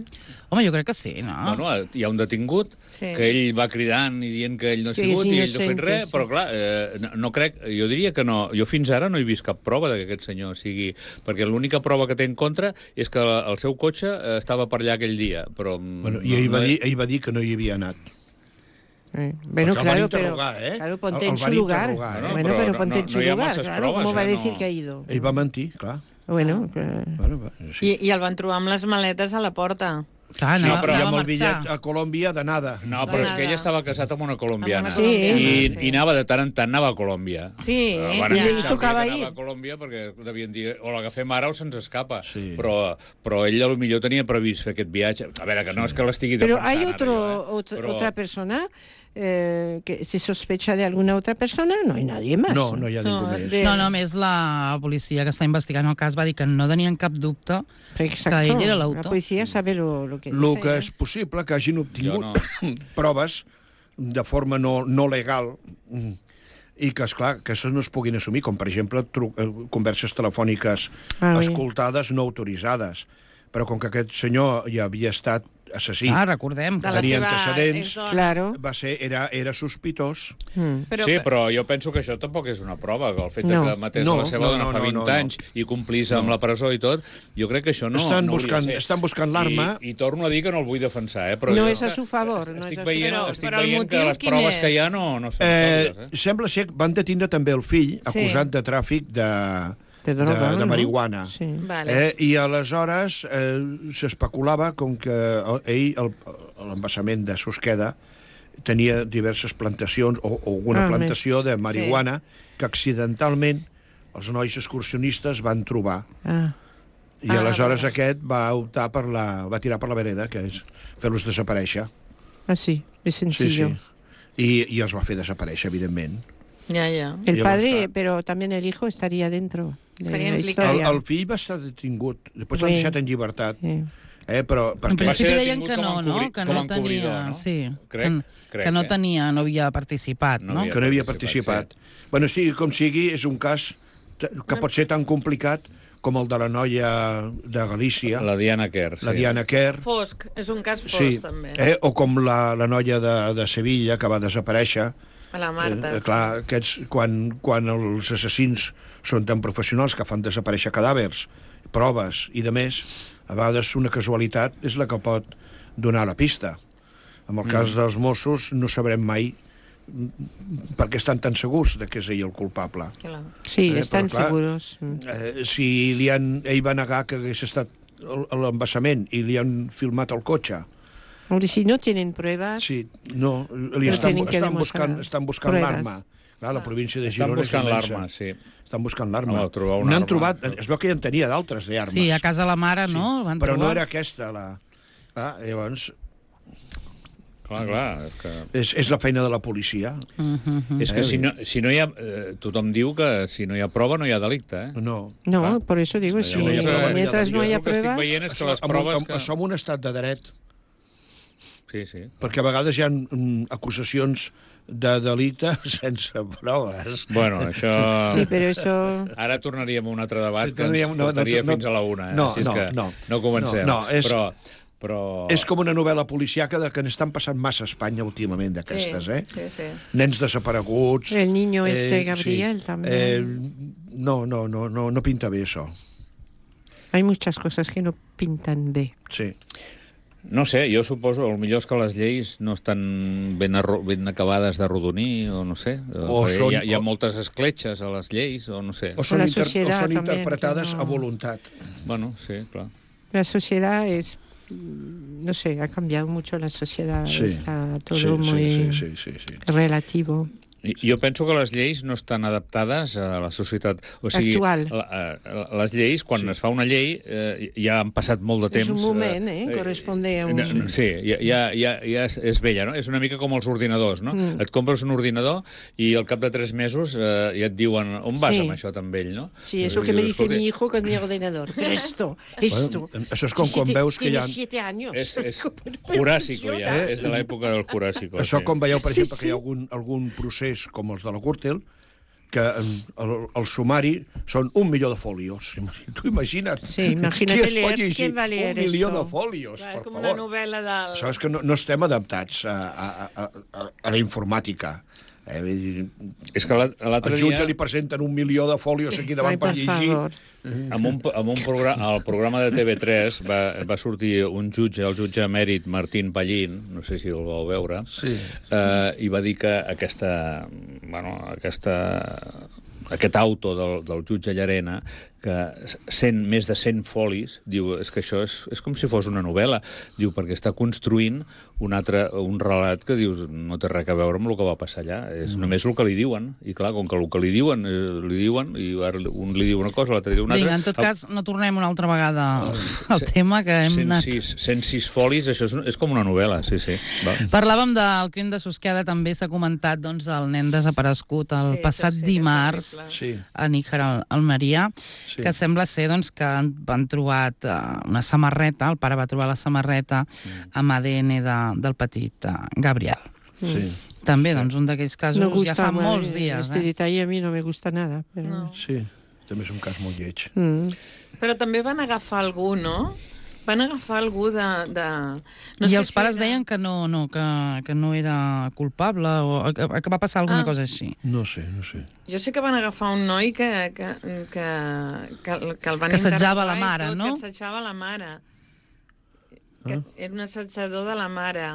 Home, jo crec que sí, no? Bueno, hi ha un detingut Sí. que ell va cridant i dient que ell no ha Que sigut és i ell no ha fet innocente, res, sí. però clar, eh, no, no crec, jo diria que no, jo fins ara no he vist cap prova de que aquest senyor sigui... Perquè l'única prova que té en contra és que el seu cotxe eh, estava per allà aquell dia, però... Bueno, I ell va, dir, ell va dir que no hi havia anat. Eh, Bueno, Porque el van claro, pero, interrogar, ¿eh? claro, ponte El- en el su van lugar. interrogar, ¿eh? Bueno, Pero pero no- ponte no- en su no hi ha lugar, masses claro. proves, ¿Cómo va a eh? decir No. que ha ido? Ell va mentir, clar. Bueno, que... Bueno, va, sí. I, I el van trobar amb les maletes a la porta. Clar, Sí, anava, però I anava amb a el bitllet marxar. a Colòmbia de nada. No, De però és que nada. ell estava casat amb una colombiana. Amb Sí. una colombiana, I, sí. I anava de tant en tant, anava a Colòmbia. Sí, Eh, van ja. avisar I li que tocava anava ir. a Colòmbia perquè devien dir o l'agafem ara o se'ns escapa. Sí. Però, però ell potser tenia previst fer aquest viatge. A veure, que no és que l'estigui Pero defensant hay ara, otro, jo, eh? otro- Però- otra persona eh, que se sospecha de alguna otra persona, no hay nadie más. No, no hi ha ningú No, més. de- No, no, més la policia que està investigant el cas va dir que no tenien cap dubte Exacto. que ell era La l'autor. policía sabe lo, lo que El dice. que ¿eh? és possible que hagin obtingut Jo proves de forma no, no legal mm, i que, esclar, que això no es puguin assumir, com, per exemple, tru eh, converses telefòniques Ah, oui. escoltades no autoritzades. Però com que aquest senyor ja havia estat assassí, Ah, recordem. De la tenia seva antecedents. exdona. Claro. va ser, era, era sospitós. Mm. Però, Sí, però jo penso que això tampoc és una prova, que el fet No. de que matés No, la seva no, dona no, fa no, vint no, no. anys i complís amb la presó i tot, jo crec que això no, Estan no hauria buscant- de ser. estan buscant l'arma. I, I torno a dir que no el vull defensar, eh? Però No jo és a su favor, no estic és a su veient, favor. estic Però el veient que motiu les quin proves és? que hi ha no, no són Eh, sòlides, eh? sembla ser que van detindre també el fill, Sí. acusat de tràfic de, De droga, de, de no? marihuana. Sí. Vale. Eh, I aleshores eh, s'especulava com que el- ell, el- l'embassament de Susqueda, tenia diverses plantacions o, o alguna Ah, plantació de marihuana que accidentalment els nois excursionistes van trobar. Ah. I Ah, aleshores vale. aquest va optar per la... va tirar per la vereda, que és fer-los desaparèixer. Ah, sí, es Sí, sencillo. sí. I, I els va fer desaparèixer, evidentment. ja, ja. El Llavors, padre, clar. pero también el hijo estaría dentro de Estaría la implicado. El, historia. el fill va estar detingut, després l'han Sí. deixat en llibertat. Sí. Eh, però En perquè... Va ser principi deien detingut que com no, a no? encobri- Que com a no encobridor, tenia... no? Sí, Crec- que, crec, que no eh? tenia, no havia participat, No no? havia que no havia participat, participat. Bueno, sigui com sigui, és un cas t- que pot ser tan complicat com el de la noia de Galícia, la, La Diana Kerr, sí. la Diana Kerr, Fosc, és un cas fosc, sí, també. eh, o com la, la noia de, de Sevilla, que va desaparèixer, A la Marta, Eh, clar, aquests, quan, quan els assassins són tan professionals que fan desaparèixer cadàvers, proves i de més, a vegades una casualitat és la que pot donar la pista. En el cas dels Mossos no sabrem mai per què estan tan segurs de que és ell el culpable. Clar. Sí, Eh, están però, clar, seguros. Mm. Eh, si li han, ell va negar que hagués estat el- a l'embassament i li han filmat el cotxe, Hombre, si no tienen pruebas, sí, no, li No estan, tienen que estan demostrar buscant, estan buscant pruebas. l'arma. Clar, la província de Estan Girona és buscant immensa. l'arma, sí. Estan buscant l'arma. Home, trobar una N'han arma. trobat, es veu que ja en tenia d'altres d'armes. Sí, a casa la mare, no? El van Però no trobar. era aquesta la... Ah, llavors, Clar, clar, és que... és, és la feina de la policia. Mhm. És que Eh, si no, si no hi ha... Eh, tothom diu que si no hi ha prova no hi ha delicte, eh? No. no, Clar. por eso digo, si, no hi ha prova, mientras no jo haya el que estic pruebas, veient és que Això, les amb, proves amb, que... això en un estat de dret, Sí, sí. perquè a vegades hi ha mm, acusacions de delicte sense proves. Bueno, això... sí, pero eso... Ara tornaríem a un altre debat Sí, que ens tornaríem- no, no, portaria no, fins a la una, eh? no, Així és no, que no. no comencem. No, no, és- Però... però... És com una novel·la policiaca de que n'estan passant massa a Espanya últimament d'aquestes, sí, eh? Sí, sí. Nens desapareguts... El niño este Gabriel también. Eh, no, no, no, no, no pinta bé això. Hay muchas cosas que no pintan bé. Sí. No sé, jo suposo, el millor és que les lleis no estan ben, arro- ben acabades d'arrodonir, o no sé. O perquè són- hi, ha, hi ha o- moltes escletxes a les lleis, o no sé. O són, la inter, o societat són també, interpretades que no- a voluntat. Bueno, sí, clar. La sociedad es... No sé, ha cambiado mucho la sociedad. Sí, Está todo sí, muy sí, sí, sí, sí, sí. relativo. I- Jo penso que les lleis no estan adaptades a la societat. O sigui, Actual. La, a- les lleis, quan Sí. es fa una llei, eh, ja han passat molt de temps. És un moment, eh? Corresponde a un- eh, Sí, ja, ja, ja, ja és, és vella, no? És una mica com els ordinadors, no? Mm. Et compres un ordinador i al cap de tres mesos eh, ja et diuen on vas Sí. amb això tan vell, no? Sí, es lo I que me dius, dice "Escolti, mi hijo con mi ordenador. Pero esto, esto... Bueno, això és com quan Siete- veus que hi tiene ha... siete años. És, és Pero- pero juràssico, ja. funciona. És de l'època del juràssico. Això sí. com veieu, per Sí, exemple, que hi ha sí. algun, algun procés com els de la Gürtel, que eh, el, el sumari són un milió de fòlios. Tu imagina't. Sí, imagínate Qui es pot leer, llegir ¿quién va a leer un milió esto? de fòlios, Clar, per és com favor. una novel·la del... Això és que no, no estem adaptats a, a, a, a, a la informàtica. Eh, vull dir, És que l'al- l'altre al dia... jutge li presenten un milió de fòlios aquí davant Ai, per per llegir. favor. En un, en un programa, al programa de T V tres va, va sortir un jutge, el jutge emèrit Martín Pallín, no sé si el vau veure, Sí. eh, i va dir que aquesta, bueno, aquesta, aquest auto del, del jutge Llarena, que cent, més de cent folis, diu, és que això és, és com si fos una novel·la, diu, perquè està construint un altre, un relat que dius, no té res a veure amb el que va passar allà, és mm. només el que li diuen, i clar, com que el que li diuen, eh, li diuen, i ara un li diu una cosa, l'altre diu una altra... Vinga, en tot cas, no tornem una altra vegada al Se- tema que hem cent anat... sis, cent sis folis, això és, és com una novel·la, sí, sí. Va. Parlàvem del crim de Susqueda, també s'ha comentat doncs, del nen desaparegut el Sí, passat això sí que és dimarts terrible. Sí. a Níjar, al Almeria, Sí. que sembla ser doncs, que han, van trobat uh, una samarreta, el pare va trobar la samarreta Mm. amb A D N de, del petit uh, Gabriel. Sí. També, doncs, un d'aquells casos No ja fa gusta, molts eh, dies. Este Eh? detalle a mí no me gusta nada. Pero... No. Sí, també és un cas molt lleig. Mm. Però també van agafar algú, no? Van agafar algú de... de... No I sé els pares si era- deien que no, no, que, que no era culpable o que, que va passar alguna Ah. cosa així. No sé, no sé. Jo sé que van agafar un noi que, que, que, que, que el van Que assetjava interrogar la i mare, tot, no? Que assetjava la mare. Que era un assetjador de la mare.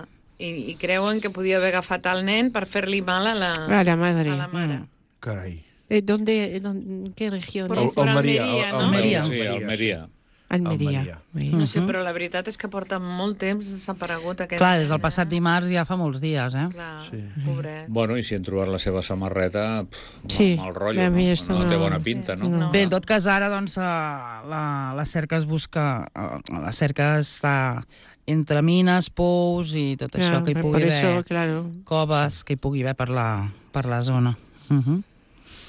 I, I creuen que podia haver agafat el nen per fer-li mal a la, A la madre. a la mare. Carai. Eh, ¿dónde, dónde- ¿En qué región Por- es? por Almeria, Almeria, Al- no? Almeria. Sí, Almeria. Almeria. Almeria. Sí. No sé, però la veritat és que porta molt temps desaparegut aquest Clar, des nen, del passat eh? dimarts ja fa molts dies, eh? Clar, Sí. pobret. Bueno, i si han trobat la seva samarreta, pff, Sí, mal rotllo, a mi no? esto No té no- bona pinta, no? No. Bé, en tot cas, ara, doncs, eh, la, la cerca es busca... eh, La cerca està entre mines, pous i tot això Claro, que hi por pugui eso, haver, claro. coves que hi pugui haver per la, per la zona. Uh -huh.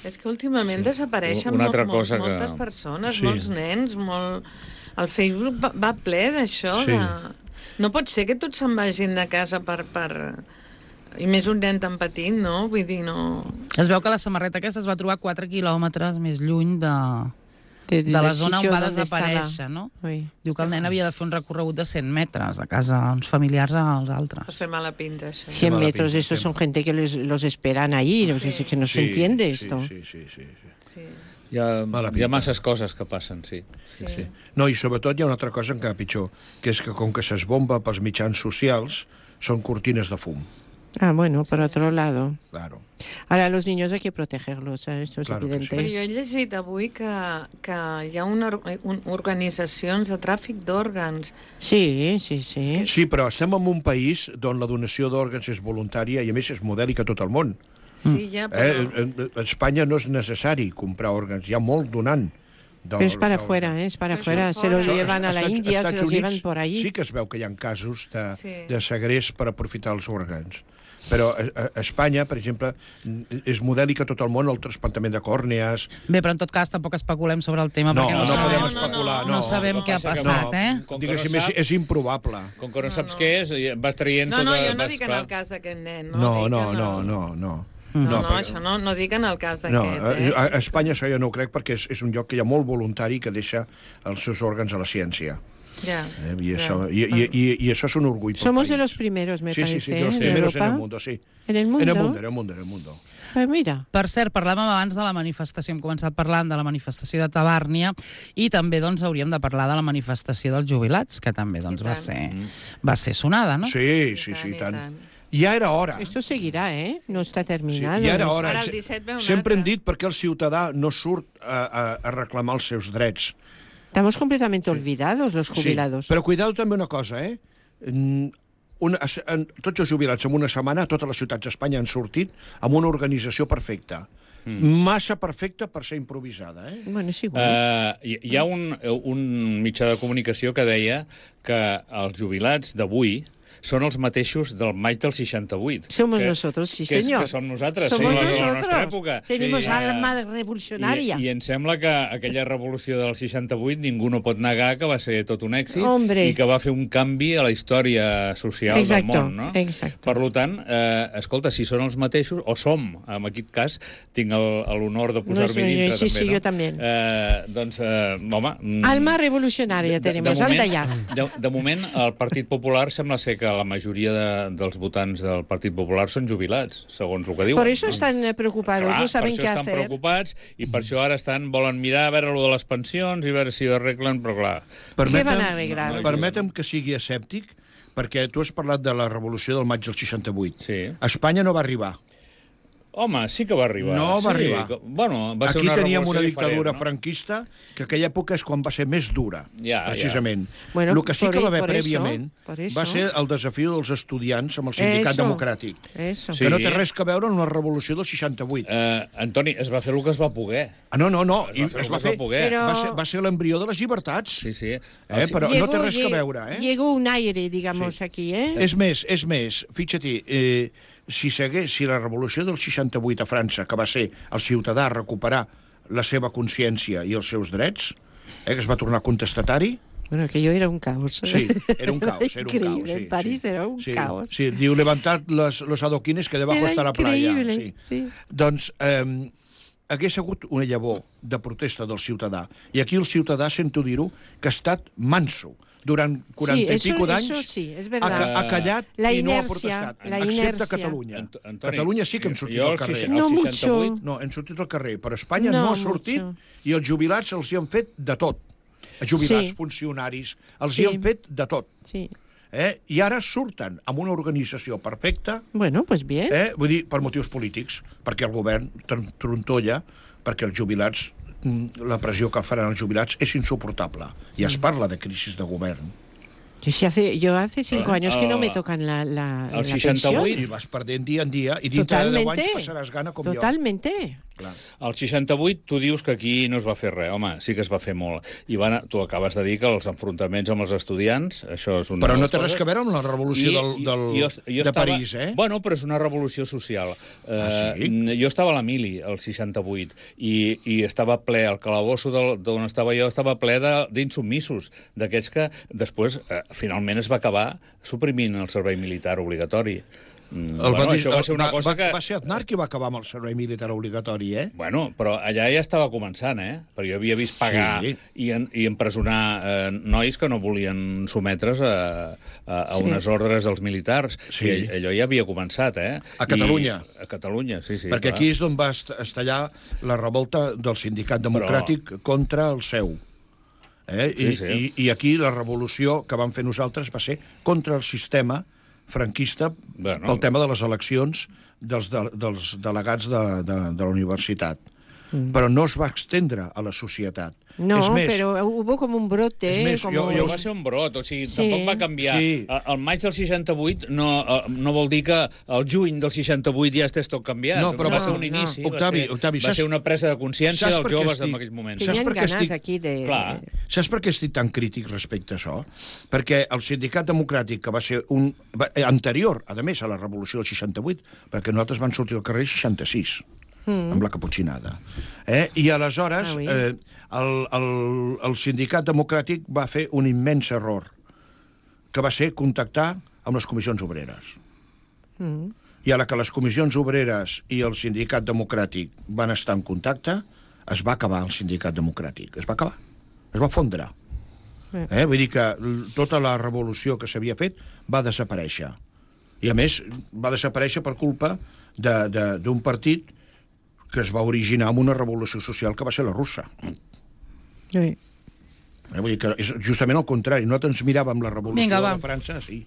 És que últimament desapareixen Una molt, altra molt, cosa que- moltes persones, Sí. molts nens, molt... El Facebook va, va ple d'això. Sí. De... No pot ser que tots se'n vagin de casa per, per... I més un nen tan petit, no? Vull dir, no... Es veu que la samarreta aquesta es va trobar quatre quilòmetres més lluny de, De, de la zona on va desaparèixer, no? Oui. Diu que el nen havia de fer un recorregut de cent metres de casa uns familiars als altres. Per ser mala pinta, això. cien mala metros, pinta, eso qué son mal. gente que les- los esperan ahí, no sé, Sí. que no se entiende esto. Sí, sí, sí, sí. Sí. Hi ha, Mala hi ha pinta. masses coses que passen, sí. Sí. sí. No, i sobretot hi ha una altra cosa encara pitjor, que és que com que s'esbomba pels mitjans socials, són cortines de fum. Ah, bueno, por otro lado. Claro. Ahora, a los niños hay que protegerlos, ¿eh? Esto es Claro que evidente. Però jo he llegit avui que, que hi ha una, or- un, organitzacions de tràfic d'òrgans. Sí, sí, sí. Sí, però estem en un país on la donació d'òrgans és voluntària i, a més, és modèlica a tot el món. Sí, ja, però... Eh? A Espanya no és necessari comprar òrgans, hi ha molt donant. Pero es para afuera, ¿eh? Es para Pero afuera. es Se los fuera. llevan a la Estats- India, se Estats los Units llevan por allí. Sí que es veu que hi ha casos de, Sí. de segrest per aprofitar els òrgans. Però a, a Espanya, per exemple, és modèlic a tot el món el trasplantament de còrnees. Bé, però en tot cas tampoc especulem sobre el tema No, perquè no, no sabem, podem no, no, especular. no. no sabem què ha passa que passat, no. eh? Com que Diguéssim, no és, sap- és improbable. Com que no No, saps no. què és, vas traient No, tot... no, jo no vas, dic en clar. el cas d'aquest nen. No, No, no, dic en no, el- no, no. No, no, perquè- això no, no dic en el cas No, d'aquest, eh? a, a Espanya això jo no ho crec perquè és, és un lloc que hi ha molt voluntari que deixa els seus òrgans a la ciència. Ja, Eh? I, ja. això, i, i, i, I això és un orgull pel Somos de país. los primeros, me sí, parece, sí, sí, de los ¿eh? primeros en en el Europa. mundo, sí. En el mundo. En el mundo, en el mundo, en el mundo. Pues mira. Per cert, parlàvem abans de la manifestació, hem començat parlant de la manifestació de Tabàrnia i també doncs, hauríem de parlar de la manifestació dels jubilats, que també doncs, I va, tant. ser, va ser sonada, no? Sí, sí, sí, I i tant, tant. i tant. Ja era hora. Esto seguirá, ¿eh? No está Sí, terminado. ja era ¿no? hora. Ara el disset ve un Sempre hem altre. dit perquè el ciutadà no surt a, a, a reclamar els seus drets. Estamos completamente olvidados, los jubilados. Sí, però cuidado també una cosa, eh? Mm, Una, en, tots els jubilats en una setmana, a totes les ciutats d'Espanya han sortit amb una organització perfecta. Mm. Massa perfecta per ser improvisada, eh? Bueno, es igual. Uh, hi, hi ha un, un mitjà de comunicació que deia que els jubilats d'avui són els mateixos del maig del seixanta-vuit. Somos que, nosotros, sí, que, señor. Que som nosaltres, Somos sí, de la nosotros. nostra època. Tenemos Sí. alma Eh, revolucionaria. I, I em sembla que aquella revolució del seixanta-vuit ningú no pot negar que va ser tot un èxit Hombre. i que va fer un canvi a la història social Exacto, del món, no? exacto. Per tant, eh, escolta, si són els mateixos, o som, en aquest cas, tinc el- l'honor de posar-m'hi No, dintre, sí, també, sí, no? jo també. Eh, doncs, eh, home... mm, Alma revolucionaria tenemos, anda ya. de, de moment, el Partit Popular sembla ser que la majoria de, dels votants del Partit Popular són jubilats, segons el que diuen. Por eso están eh, preocupados, Clar, no saben per qué això estan hacer. preocupats i per això ara estan, volen mirar a veure lo de les pensions i a veure si ho arreglen, però clar... Què van a arreglar? Permetem que sigui escèptic, perquè tu has parlat de la revolució del maig del seixanta-vuit. Sí. A Espanya no va arribar. Home, sí que va arribar. No va sí, arribar. que- Bueno, va ser Aquí una teníem una revolució dictadura diferent, no? franquista, que aquella època és quan va ser més dura, Ja, precisament. ja. Bueno, el que sí por que va ahí- haver por eso, prèviament por eso. va ser el desafiu dels estudiants amb el sindicat Eso, democràtic, Eso. Sí. que no té res a veure amb la revolució del seixanta-vuit. Eh, Antoni, es va fer el que es va poder. Ah, no, no, no. Es i va fer el es que va es va fer, poder. Però- va ser, va ser l'embrió de les llibertats. Sí, sí. Eh, però no té res a veure, eh? Llegó un aire, digamos, Sí. aquí, ¿eh? És més, és més, fixa-t'hi, eh, si, segués, si la revolució del seixanta-vuit a França, que va ser el ciutadà recuperar la seva consciència i els seus drets, eh, que es va tornar contestatari, Bueno, aquello era un caos. sí, era un caos, era un Increíble, caos. Sí, en París sí, era un sí, caos. Sí, diu, levantad los, los adoquines que debajo Era está la playa. increíble, Sí. sí. Doncs eh, hagués hagut una llavor de protesta del ciutadà. I aquí el ciutadà, sento dir-ho, que ha estat manso. Durant quaranta Sí, eso- i pico d'anys eso sí, es ha, verdad. ca- ha callat La i no ha inercia, protestat, la excepte inercia. Catalunya. Ant- Antoni, Catalunya sí que hem sortit jo al al carrer. seixanta- No al mucho. seixanta-vuit No, hem sortit al carrer, però Espanya no, No ha sortit mucho. i els jubilats els hi han fet de tot. Els jubilats, Sí. funcionaris, els Sí. hi han fet de tot. Sí. Eh? I ara surten amb una organització perfecta, Bueno, pues bien. eh? vull dir, per motius polítics, perquè el govern tron- trontolla, perquè els jubilats, mm, la pressió que faran els jubilats és insuportable. I es parla de crisi de govern. Yo, sí hace, yo hace cinco Ah, años que no me ah, tocan la, la, al la seixanta-vuit. pensión. I vas perdent dia en dia, i dintre de deu anys passaràs gana com Totalmente. jo. Clar. Al seixanta-vuit tu dius que aquí no es va fer res. Home, sí que es va fer molt. I van, tu acabes de dir que els enfrontaments amb els estudiants, això és una Però de no les té res coses. a veure amb la revolució del, del, jo, jo de estava, París, eh? Bueno, però és una revolució social. Ah, sí? Eh, jo estava a la mili, al seixanta-vuit, i, i estava ple, el calabosso del- d'on estava jo estava ple de- d'insubmissos, d'aquests que després, eh, finalment, es va acabar suprimint el servei militar obligatori. Mm, El bueno, va, això va ser una va, cosa va, que... Va ser Aznar qui va acabar amb el servei militar obligatori, eh? Bueno, però allà ja estava començant, eh? Perquè jo havia vist pagar Sí. i, en, i empresonar eh, nois que no volien sometre's a, a, a Sí. unes ordres dels militars. Sí. I allò ja havia començat, eh? A Catalunya. I, a Catalunya, sí, sí. Perquè clar. aquí és on va est- estallar la revolta del sindicat democràtic Però... contra el seu. Eh? I, Sí, sí. I, I aquí la revolució que vam fer nosaltres va ser contra el sistema franquista Bueno. pel tema de les eleccions dels, de, dels delegats de, de, de la universitat. Mm. Però no es va extendre a la societat. No, és més, pero hubo como un brote. És més, como... jo- Però jo- va ser un brot, o sigui, Sí. tampoc va canviar. Sí. El, el maig del seixanta-vuit no, eh, no vol dir que el juny del seixanta-vuit ja estés tot canviat. No, però va va- ser un no. inici, Octavi, va, ser, Octavi, va saps- ser una presa de consciència saps dels per què joves estic- en aquells moments. Saps Tenien per què ganas estic- aquí de... Clar. Saps per què estic tan crític respecte a això? Perquè el sindicat democràtic, que va ser un va, eh, anterior, a més, a la revolució del seixanta-vuit, perquè nosaltres van sortir al carrer el seixanta-sis, mm. amb la caputxinada. Eh? I aleshores Ah, oui. eh, el, el, el sindicat democràtic va fer un immens error, que va ser contactar amb les comissions obreres. Mm. I a la que les comissions obreres i el sindicat democràtic van estar en contacte, es va acabar el sindicat democràtic. Es va acabar. Es va fondre. Eh? Vull dir que l- tota la revolució que s'havia fet va desaparèixer. I, a més, va desaparèixer per culpa de- de- d'un partit que es va originar amb una revolució social que va ser la russa. Sí. Eh? Vull dir que és justament el contrari. Nosaltres ens miràvem la revolució Vinga, va. de França, sí.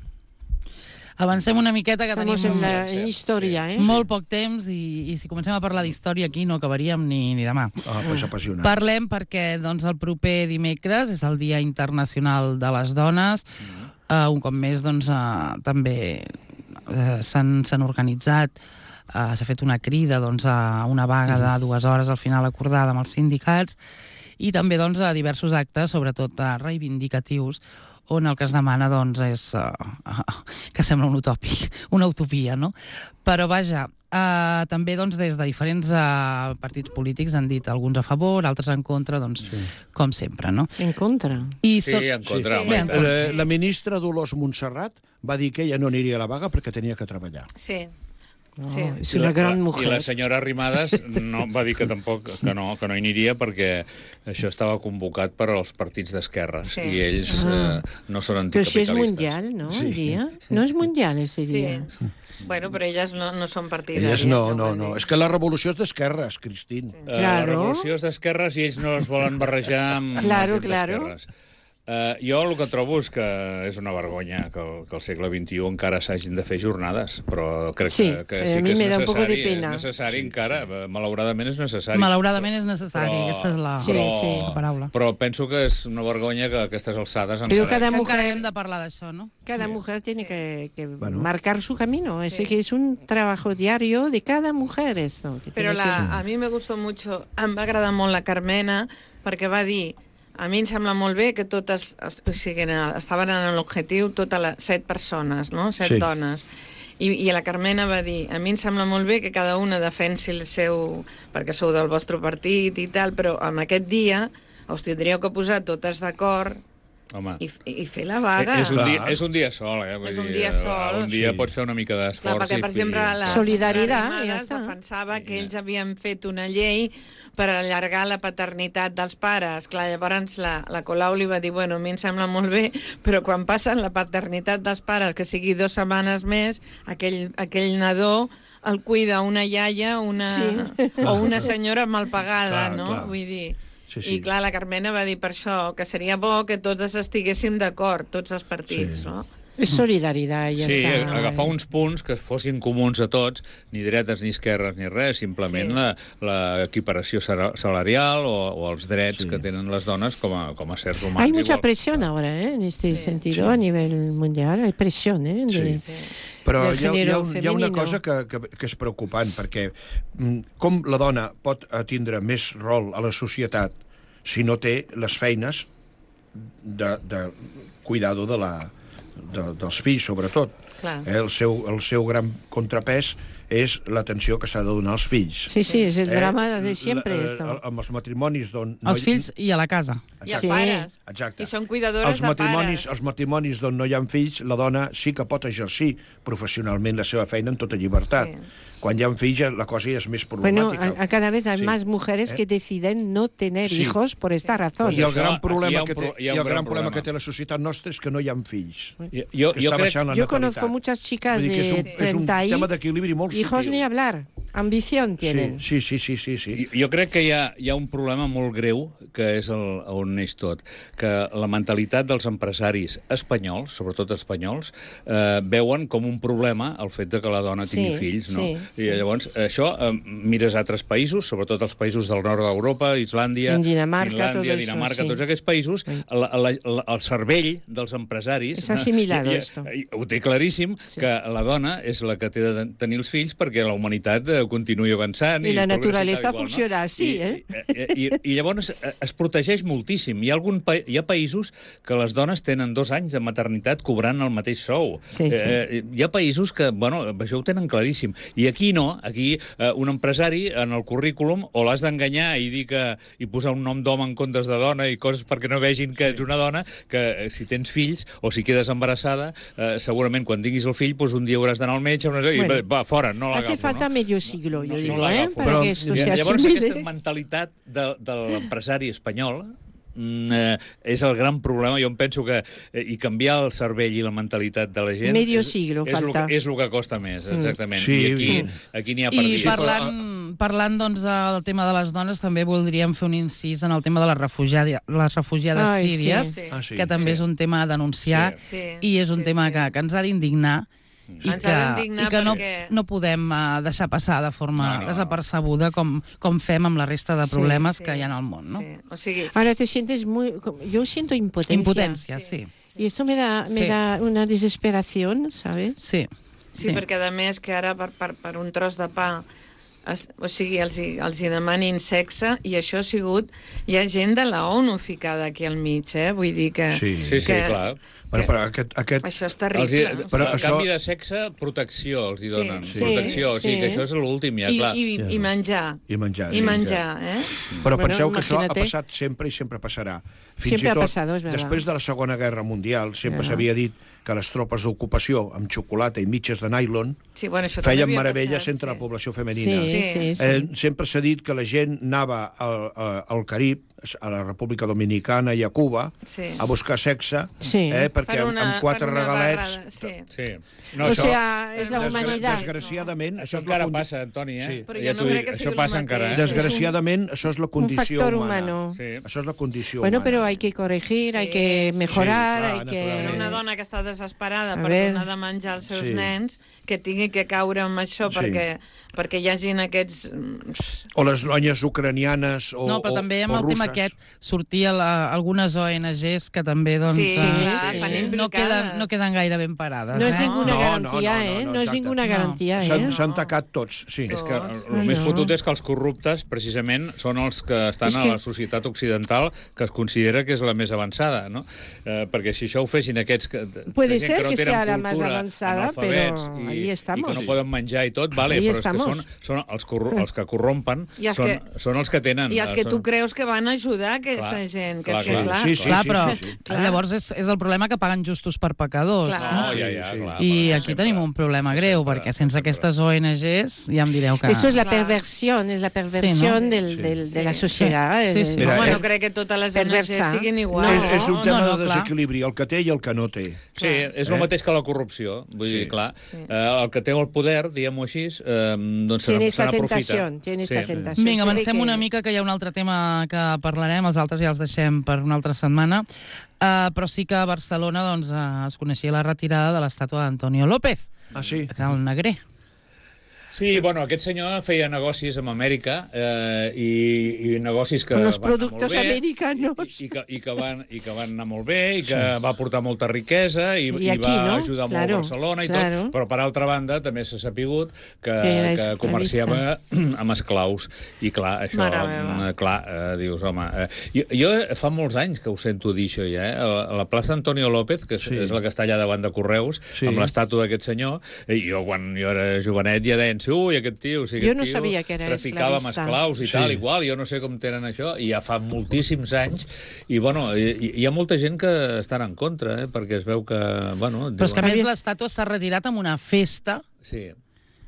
Avancem una miqueta, que Estamos tenim en la en historia, ¿eh? molt poc temps i, i si comencem a parlar d'història aquí no acabaríem ni, ni demà. Ah, pues apassionant. Parlem perquè doncs, el proper dimecres és el Dia Internacional de les Dones. Mm. Uh, un cop més doncs, uh, també uh, s'han s'han organitzat, uh, s'ha fet una crida doncs, a una vaga de dues hores al final acordada amb els sindicats i també doncs, a diversos actes, sobretot uh, reivindicatius, on el que es demana doncs, és uh, uh, que sembla un utòpic, una utopia, no? Però vaja, uh, també doncs, des de diferents uh, partits polítics han dit alguns a favor, altres en contra, doncs, sí. com sempre, no? En contra. I Sí, so- en contra, Sí, home, sí. i tant. Eh, la ministra Dolors Montserrat va dir que ella no aniria a la vaga perquè tenia que treballar. Sí. No, Sí. es I una la- gran I mujer. la senyora Arrimadas no, va dir que tampoc que no, que no hi aniria perquè això estava convocat per als partits d'esquerres Sí. i ells Ah. eh, no són Pero si es anticapitalistes. mundial, ¿no? Sí. El día. No es mundial ese Sí. día. Bueno, però elles no, no són partidàries. Elles no, ja ho no, van no. dir. És que la revolució és d'esquerres, Cristín. Sí. Eh, La Claro. revolució és d'esquerres i ells no es volen barrejar amb Claro, la gent claro. d'esquerres. Uh, jo el que trobo és que és una vergonya que, el, que al segle vint-i-u encara s'hagin de fer jornades, però crec Sí, que, que eh, sí a que mi és me da un poco de necessari, pena. és necessari sí, encara, sí. Malauradament és necessari. malauradament és necessari, Però- aquesta és la, Sí, però, sí. la paraula. Però penso que és una vergonya que a aquestes alçades Però encara... cada Que encara mujer- hem de parlar d'això, no? Cada mujer tiene que, que Bueno. marcar su camino. Es Sí. que es un trabajo diario de cada mujer esto. que Però tiene la, a mi me gustó mucho, em va agradar molt la Carmena, perquè va dir, a mi em sembla molt bé que totes, es- o sigui, en- estaven en l'objectiu totes les set persones, no? Set Sí. dones. I, I la Carmena va dir, a mi em sembla molt bé que cada una defensi el seu... perquè sou del vostre partit i tal, però en aquest dia us tindríeu que posar totes d'acord Home. i, i fer la vaga. Eh, És un, Clar. dia, és un dia sol, eh? Vull És un dir, dia sol. Un dia Sí. pots fer una mica Clar, d'esforç. perquè, per i- exemple, i- la Solidaritat, senyora ja Arrimadas està. defensava que ells havien fet una llei per allargar la paternitat dels pares. Clar, llavors la, la Colau li va dir, bueno, a mi em sembla molt bé, però quan passen la paternitat dels pares, que sigui dues setmanes més, aquell, aquell nadó el cuida una iaia una, Sí. o una senyora mal pagada, Clar, no? clar. Vull dir... Sí, sí. I clar, la Carmena va dir per això, que seria bo que tots estiguéssim d'acord, tots els partits, Sí. no? Es solidaridad, ya Sí, está. agafar uns punts que fossin comuns a tots, ni dretes ni esquerres ni res, simplement Sí. la, la equiparació sara- salarial o, o els drets Sí. que tenen les dones com a, com a sers humans. Hay mucha igual. presión ahora, ¿eh? En este Sí. sentido, a nivel mundial, hay presión, ¿eh? De- Sí. Sí. Però del hi ha, hi, ha, género un- hi ha una femenino. cosa que, que, que és preocupant, perquè mm, com la dona pot tindre més rol a la societat si no té les feines de, de cuidado de la, de, dels fills, sobretot. Clar. Clar. Eh, el, seu, el seu gran contrapès és l'atenció que s'ha de donar als fills. Sí, sí, és el drama de sempre. La- esto. eh, Amb els matrimonis d'on... no Els hi- fills i a la casa. I els Sí. pares. Exacte. I són cuidadores els de matrimonis, pares. Els matrimonis d'on no hi ha fills, la dona sí que pot exercir professionalment la seva feina en tota llibertat. Sí. Quan hi ha fills, ja- la cosa ja és més Bueno, problemàtica. a, a cada vez hay Sí. más mujeres que deciden no tener Sí. hijos por esta razón. I el Això, gran aquí problema, hi ha un que té, pro- hi ha i un el gran gran problema problema. que té la societat nostra és que no hi ha fills. Jo, jo, Que jo està crec... baixant la Yo natalitat. conozco muchas chicas Vull dir que és de un, és un treinta y tema d'equilibri molt hijos subtil. ni hablar. Ambición tienen. Sí, sí, sí, sí, sí. Jo crec que hi ha, hi ha un problema molt greu, que és el, on neix tot, que la mentalitat dels empresaris espanyols, sobretot espanyols, eh, veuen com un problema el fet de que la dona tingui Sí, fills, no? sí, I llavors, això, eh, mires altres països, sobretot els països del nord d'Europa, Islàndia, En Dinamarca, Finlàndia, todo eso, Dinamarca, sí. tots aquests països, la, la, la, el cervell dels empresaris... És assimilado, i- i- esto. i ho té claríssim, Sí. que la dona és la que té de tenir els fills perquè la humanitat eh, continuï avançant. I la progressi naturalesa tal i qual, funciona així, I, eh? I, i, i llavors eh, es protegeix moltíssim. Hi ha, algun pa hi ha països que les dones tenen dos anys de maternitat cobrant el mateix sou. Sí, sí. Eh, hi ha països que, bueno, això ho tenen claríssim. I aquí no, aquí eh, un empresari en el currículum o l'has d'enganyar i dir que i posar un nom d'home en comptes de dona i coses perquè no vegin que ets una dona, que eh, si tens fills o si quedes embarassada, eh, segurament quan tinguis el fill, doncs un dia hauràs d'anar al metge una... i Bueno, va, fora, no l'agafo. Hace falta no? medio siglo, yo No, digo, no ¿eh? l'agafo. Para Però, que esto i- se Llavors, asimile. aquesta mentalitat de, de l'empresari espanyol mm, eh, és el gran problema. Jo em penso que eh, i canviar el cervell i la mentalitat de la gent Medio és, siglo és, el, falta. que- és el que costa més, exactament. Sí, I aquí, sí. aquí n'hi ha per I dir. parlant, parlant doncs, del tema de les dones, també voldríem fer un incís en el tema de les, refugiades, les refugiades Ai, sí. síries, Sí. Ah, sí. que també és un tema a denunciar Sí. Sí. i és un Sí, tema sí. que, que ens ha d'indignar i Ens que, ha d'indignar i que no, perquè- no podem uh, deixar passar de forma No, no, no. desapercebuda com, com fem amb la resta de Sí, problemes Sí. que hi ha al món, no? Sí. O sigui, Ahora te sientes muy... Yo siento impotencia. Impotència, sí. Y esto me da, me Sí. da una desesperación, ¿sabes? Sí. sí, perquè a més que ara per, per, per un tros de pa es, o sigui, els, hi- els hi demanin sexe i això ha sigut... Hi ha gent de la ONU ficada aquí al mig, eh? Vull dir que... Sí. Sí, sí, que- clar. Bueno, però aquest, aquest, Això és Els terrible. hi, o però Però a això- canvi de sexe, protecció els hi Sí, donen. sí. Protecció, o sigui Sí. que això és l'últim, ja, I, clar. i, i menjar. I menjar, I sí. menjar, eh? Però Bueno, penseu que això ha imagínate. passat sempre i sempre passarà. Fins Siempre i ha tot, pasado, es verdad. després de la Segona Guerra Mundial, sempre Ajá. s'havia dit que les tropes d'ocupació amb xocolata i mitges de nylon Sí, bueno, això també feien havia meravelles passat, entre sí. la població femenina. Sí, sí, sí. Eh, sempre s'ha dit que la gent anava al, a- al Carib, a la República Dominicana i a Cuba, Sí. a buscar sexe, Sí. eh, perquè Per una- amb quatre per una regalets... barrada, sí. Sí. O No, això, sea, es la Desgra- humanidad. Desgraciadament, això això és la encara condi- passa, Antoni, eh? Sí. Però Ja jo t'ho no dic, crec que això sigui el passa encara, eh? mateix. Desgraciadament, això és la condició factor humana. humano. Sí. Això és la condició Bueno, humana. pero hay que corregir, Sí, hay que sí. mejorar, Sí, clar, hay que... naturalment. Una dona que està desesperada A per ver. donar de menjar als seus Sí. nens, que tingui que caure amb això Sí. perquè, perquè hi hagin aquests... O les noies ucranianes o, No, però o, també amb o el tema russes. aquest sortia la, algunes O N Ges que també doncs, Sí, eh, clar, estan no, implicades. queden, no queden gaire ben parades. No es eh? ninguna No, garantía, no, no, ¿eh? no, No, es exacte. ninguna No. garantía, S'han ¿eh? s'han tacat tots, sí. És que el, Tots. el més No. fotut és que els corruptes, precisament, són els que estan És a que- la societat occidental que es considera que és la més avançada, no? Eh, perquè si això ho fessin aquests que, Puede gent ser que no que tenen sea la más cultura, avanzada, analfabets pero i, ahí estamos. i que no poden menjar i tot, vale, Ahí però estamos. és que són, són els, corru els que corrompen, I els són, que- són els que tenen... I els que són... tu creus que van ajudar aquesta Clar, gent, que clar, és que, clar. clar... Sí, sí, Clar, però sí, sí. Clar. llavors és, és el problema que paguen justos per pecadors. Clar. No, Sí, ja, ja, sí. clar. I però aquí sempre- tenim un problema això greu, sempre, perquè sense sempre. aquestes O N Ges ja em direu que... Esto es la Claro. perversión, es la perversión Sí, ¿no? del, Sí. del- de la Sí. sociedad. Sí, eh, sí. Mira, Home, eh, no crec que totes les O N Ges perversa. siguin No. iguals. És, és un tema no, no, de clar. desequilibri, el que té i el que no té. Sí, és el Eh? mateix que la corrupció. Vull Sí. dir, clar, Sí. eh, el que té el poder, diguem-ho així, eh, doncs se Tiene se esta n'aprofita. tentación, tiene esta Sí. tentación. Vinga, Se ve avancem que- una mica, que hi ha un altre tema que parlarem, els altres ja els deixem per una altra setmana, uh, però sí que a Barcelona doncs, uh, es coneixia la retirada de l'estàtua d'Antonio López, Ah, sí? el negrer. Sí, bueno, aquest senyor feia negocis amb Amèrica eh, i, i negocis que Con los van anar molt productos bé, americanos. I, i, que, i, que van, i que van anar molt bé i que sí. va portar molta riquesa i, I i aquí, va no? ajudar Claro, molt Barcelona i claro. tot, però per altra banda també s'ha sapigut que, Que era que esclavista. comerciava amb esclaus i clar, això, Mare meva. eh, clar, eh, dius, home, eh, jo, jo fa molts anys que ho sento dir això ja, eh? A la plaça Antonio López, que és, Sí. és la que està allà davant de Correus, Sí. amb l'estàtua d'aquest senyor, i jo quan jo era jovenet ja deien, ui, aquest tio, o sigui, Jo aquest no tio sabia que era traficava amb esclavista. esclaus i Sí. tal, igual, jo no sé com tenen això, i ja fa moltíssims anys, i bueno, hi, hi ha molta gent que estan en contra, eh? Perquè es veu que, bueno... Però és que a diuen- més l'estàtua s'ha retirat amb una festa, Sí.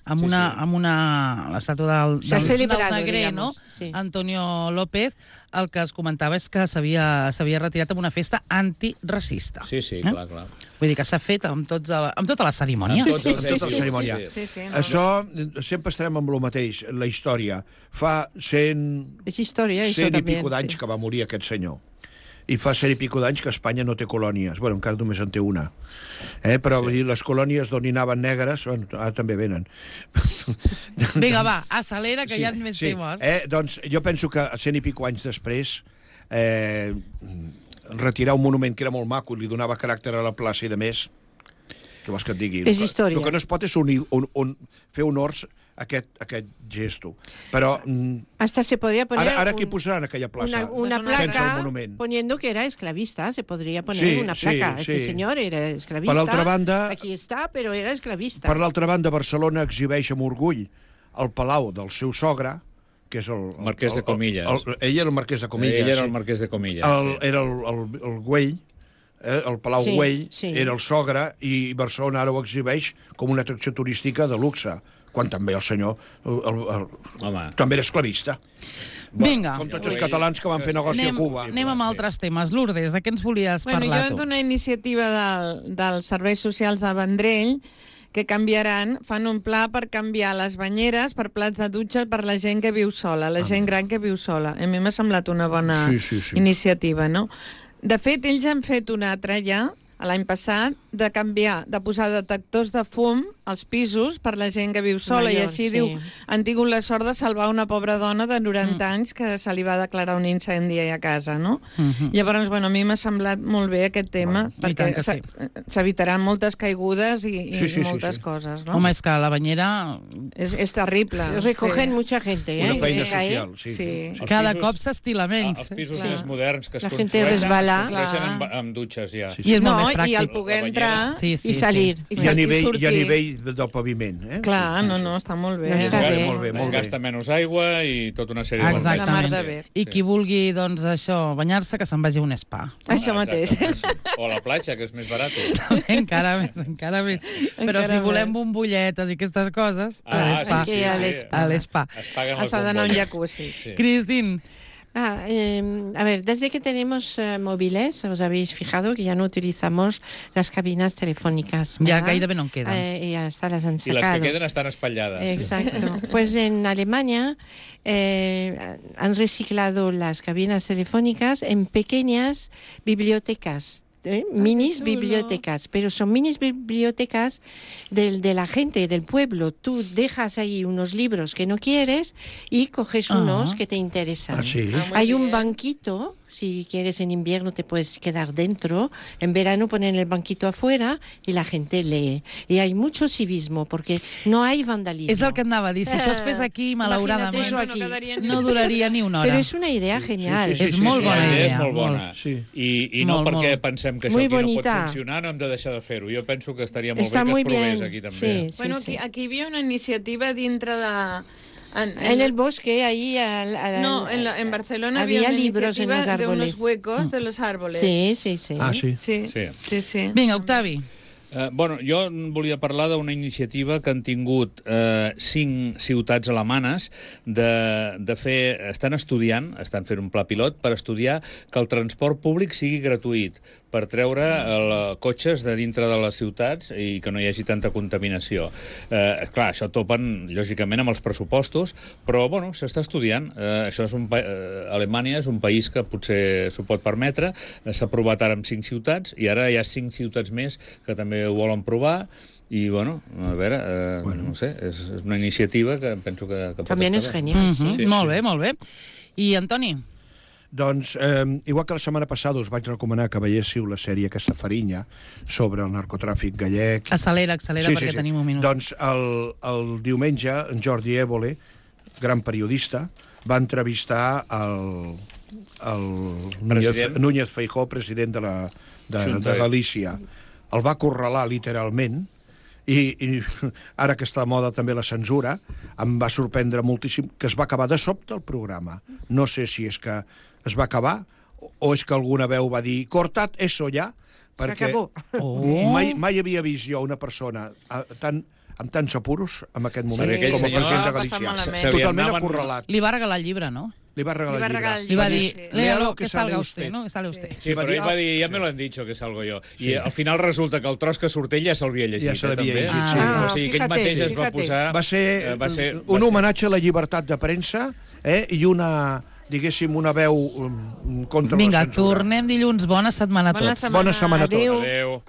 amb Sí, una, sí. amb una l'estàtua del, S'ha del, celebrado, del negrer, digamos, no? sí. Antonio López, el que es comentava és que s'havia s'havia retirat amb una festa antiracista. Sí, sí, Eh? clar, clar. Vull dir que s'ha fet amb, tots el, amb tota la cerimònia. Amb tots els Sí, tota la eixos, cerimònia. sí. Sí, sí, no? Això, sempre estarem amb el mateix, la història. Fa cent, Es historia, eso cent i también. pico d'anys sí. que va morir aquest senyor. I fa cent i pico d'anys que Espanya no té colònies. Bueno, encara només en té una. Eh? Però sí. Vull dir, les colònies d'on hi anaven negres, bueno, ara també venen. Vinga, va, acelera, que sí, hi ha més sí. temes. Eh, doncs jo penso que cent i pico anys després eh, retirar un monument que era molt maco i li donava caràcter a la plaça i de més, què vols que et digui? És El que- història. El que no es pot és unir, un, un, fer honors a aquest, a aquest gesto. Però mm, Hasta se podría poner ara, ara un- qui posaran aquella plaça? una, una Es una sense el placa monument. poniendo que era esclavista. Se podría poner Sí, una sí, placa. Este sí. señor era esclavista. Per l'altra banda- Aquí está, pero era esclavista. Per l'altra banda, Barcelona exhibeix amb orgull el palau del seu sogre, que és el... el Marquès de el- Comilles. El, el, ell era el marquès de Comilles. Ell era sí. el marquès de Comilles. El, sí. era el, el, el Güell, eh, el Palau Sí, Güell, sí. era el sogre, i Barcelona ara ho exhibeix com una atracció turística de luxe, quan també el senyor el, el, el, Home. també era esclavista, Vinga, com tots els catalans que van fer negoci anem, a Cuba. anem amb altres temes. Lourdes, de què ens volies Bueno, parlar jo tu? d'una iniciativa del, dels serveis socials de Vendrell que canviaran, fan un pla per canviar les banyeres per plats de dutxa per la gent que viu sola, la gent gran que viu sola. A mi m'ha semblat una bona Sí, sí, sí. iniciativa, no? De fet, ells han fet una altra ja, l'any passat, de canviar, de posar detectors de fum als pisos per la gent que viu sola, i Major, així sí. diu, han tingut la sort de salvar una pobra dona de noranta mm. anys que se li va declarar un incendi a casa, no? Mhm. Llavors, bueno, a mi m'ha semblat molt bé aquest tema, I tant perquè que sí. s'e- s'evitaran moltes caigudes i, i Sí, sí, sí, moltes sí. coses, no? Home, és que la banyera És, és terrible. Recogen sí. mucha gente, ¿eh? Una feina Que cae. social, sí. Sí. Els cada pisos- cop s'estila Ah, menys. els pisos Clar. més moderns que es La gente construeixen, resbala. es construeixen Clar. amb, amb dutxes ja. Sí, I és molt No, més i pràctic. al poder La entrar Sí, sí, I salir. i, I a sa- i nivell, i a sortir. nivell de- del paviment. Eh? Clar, no, no, està molt bé. No, Es està gasta, bé. molt bé, es molt bé. gasta menys aigua i tota una sèrie de Exactament. La mar de bé. I qui vulgui, doncs, això, banyar-se, que se'n vagi a un spa. Això mateix. Exactament. O a la platja, que és més barat. encara més, encara més. Però Encara si volem més. bombolletes i aquestes coses, a Ah, l'espa. sí, sí, a sí. l'espa. A l'espa. Es paguen les S'ha d'anar a un bombolles. jacuzzi. Sí. Cristín, Ah, eh, a ver, desde que tenemos eh, móviles, os habéis fijado que ya no utilizamos las cabinas telefónicas. ja ¿verdad? gairebé no en queden. Eh, y hasta las han I les sacado. que queden estan espatllades. Exacto. Pues en Alemania eh, han reciclado las cabinas telefónicas en pequeñas bibliotecas. ¿eh? Minis chulo. bibliotecas, pero son minis bibliotecas del, de la gente, del pueblo. Tú dejas ahí unos libros que no quieres y coges Ah. unos que te interesan. Ah, sí? Ah, muy Hay un bien. banquito, si quieres en invierno te puedes quedar dentro, en verano ponen el banquito afuera y la gente lee. Y hay mucho civismo porque no hay vandalismo. és el que et anava a dir. Si això es fes aquí, malauradament, Imagina't Bueno, aquí. no quedaria ni no duraria ni una hora. Pero es una idea genial. sí, sí, és molt La bona idea idea. és molt bona. molt. Sí. I, i no Molt, perquè molt. pensem que això Muy aquí no pot bonita. funcionar, no hem de deixar de fer-ho. Jo penso que estaria molt Está bé que muy es provés bien. aquí també. Sí, Bueno, sí, aquí, sí. aquí hi havia una iniciativa dintre de... En, En el bosque, ahí... Al, al- No, en, la- en Barcelona había había una libros en iniciativa los de unos árboles. huecos de los árboles. Sí, sí, sí. Ah, sí? Sí, Sí. sí, sí. Vinga, Octavi. Uh, bueno, jo en volia parlar d'una iniciativa que han tingut uh, cinc ciutats alemanes de, de fer... Estan estudiant, estan fent un pla pilot per estudiar que el transport públic sigui gratuït, per treure uh, cotxes de dintre de les ciutats i que no hi hagi tanta contaminació. Uh, clar, això topen, lògicament, amb els pressupostos, però, bueno, s'està estudiant. Uh, això és un pa... uh, Alemanya és un país que potser s'ho pot permetre. Uh, S'ha provat ara amb cinc ciutats i ara hi ha cinc ciutats més que també ho volen provar I, bueno, a veure, eh, bueno. no sé, és, és una iniciativa que penso que, que pot También es estar bé. genial, Mm sí. -hmm. Sí, Molt sí. bé, molt bé. I, Antoni? Doncs, eh, igual que la setmana passada us vaig recomanar que veiéssiu la sèrie aquesta Farinya sobre el narcotràfic gallec. Accelera, accelera, perquè tenim un minut. Doncs el, el diumenge, en Jordi Évole, gran periodista, va entrevistar el, el Núñez, Núñez Feijóo, president de, la, de, de Galícia. El va acorralar literalment, i, i ara que està de moda també la censura, em va sorprendre moltíssim que es va acabar de sobte el programa. No sé si és que es va acabar o és que alguna veu va dir cortat eso ja, perquè oh. mai, mai havia vist jo una persona a, tan, amb tants apuros en aquest moment Sí, com a president de va passar Galícia. malament. Totalment acorralat. Li va regalar el llibre, no? Li va regalar Li va el regalar llibre. el Li va llibre, dir, sí. léalo, que que sale salga usted. usted, ¿no? Que sale usted. Sí, va però dir, ell va ah, dir, ja me lo han dicho, que salgo jo. I al final resulta que el tros que surt ell ja s'havia llegit, Ja se eh, l'havia també. llegit, sí. Ah, o sigui, ell fíjate, mateix es va fíjate. posar... Va ser, eh, va ser un va homenatge a la llibertat de premsa, eh, i una, diguéssim, una veu um, contra Vinga, la censura. tornem dilluns. Bona setmana a Bona tots. setmana. Bona setmana a tots. Adéu. Adéu.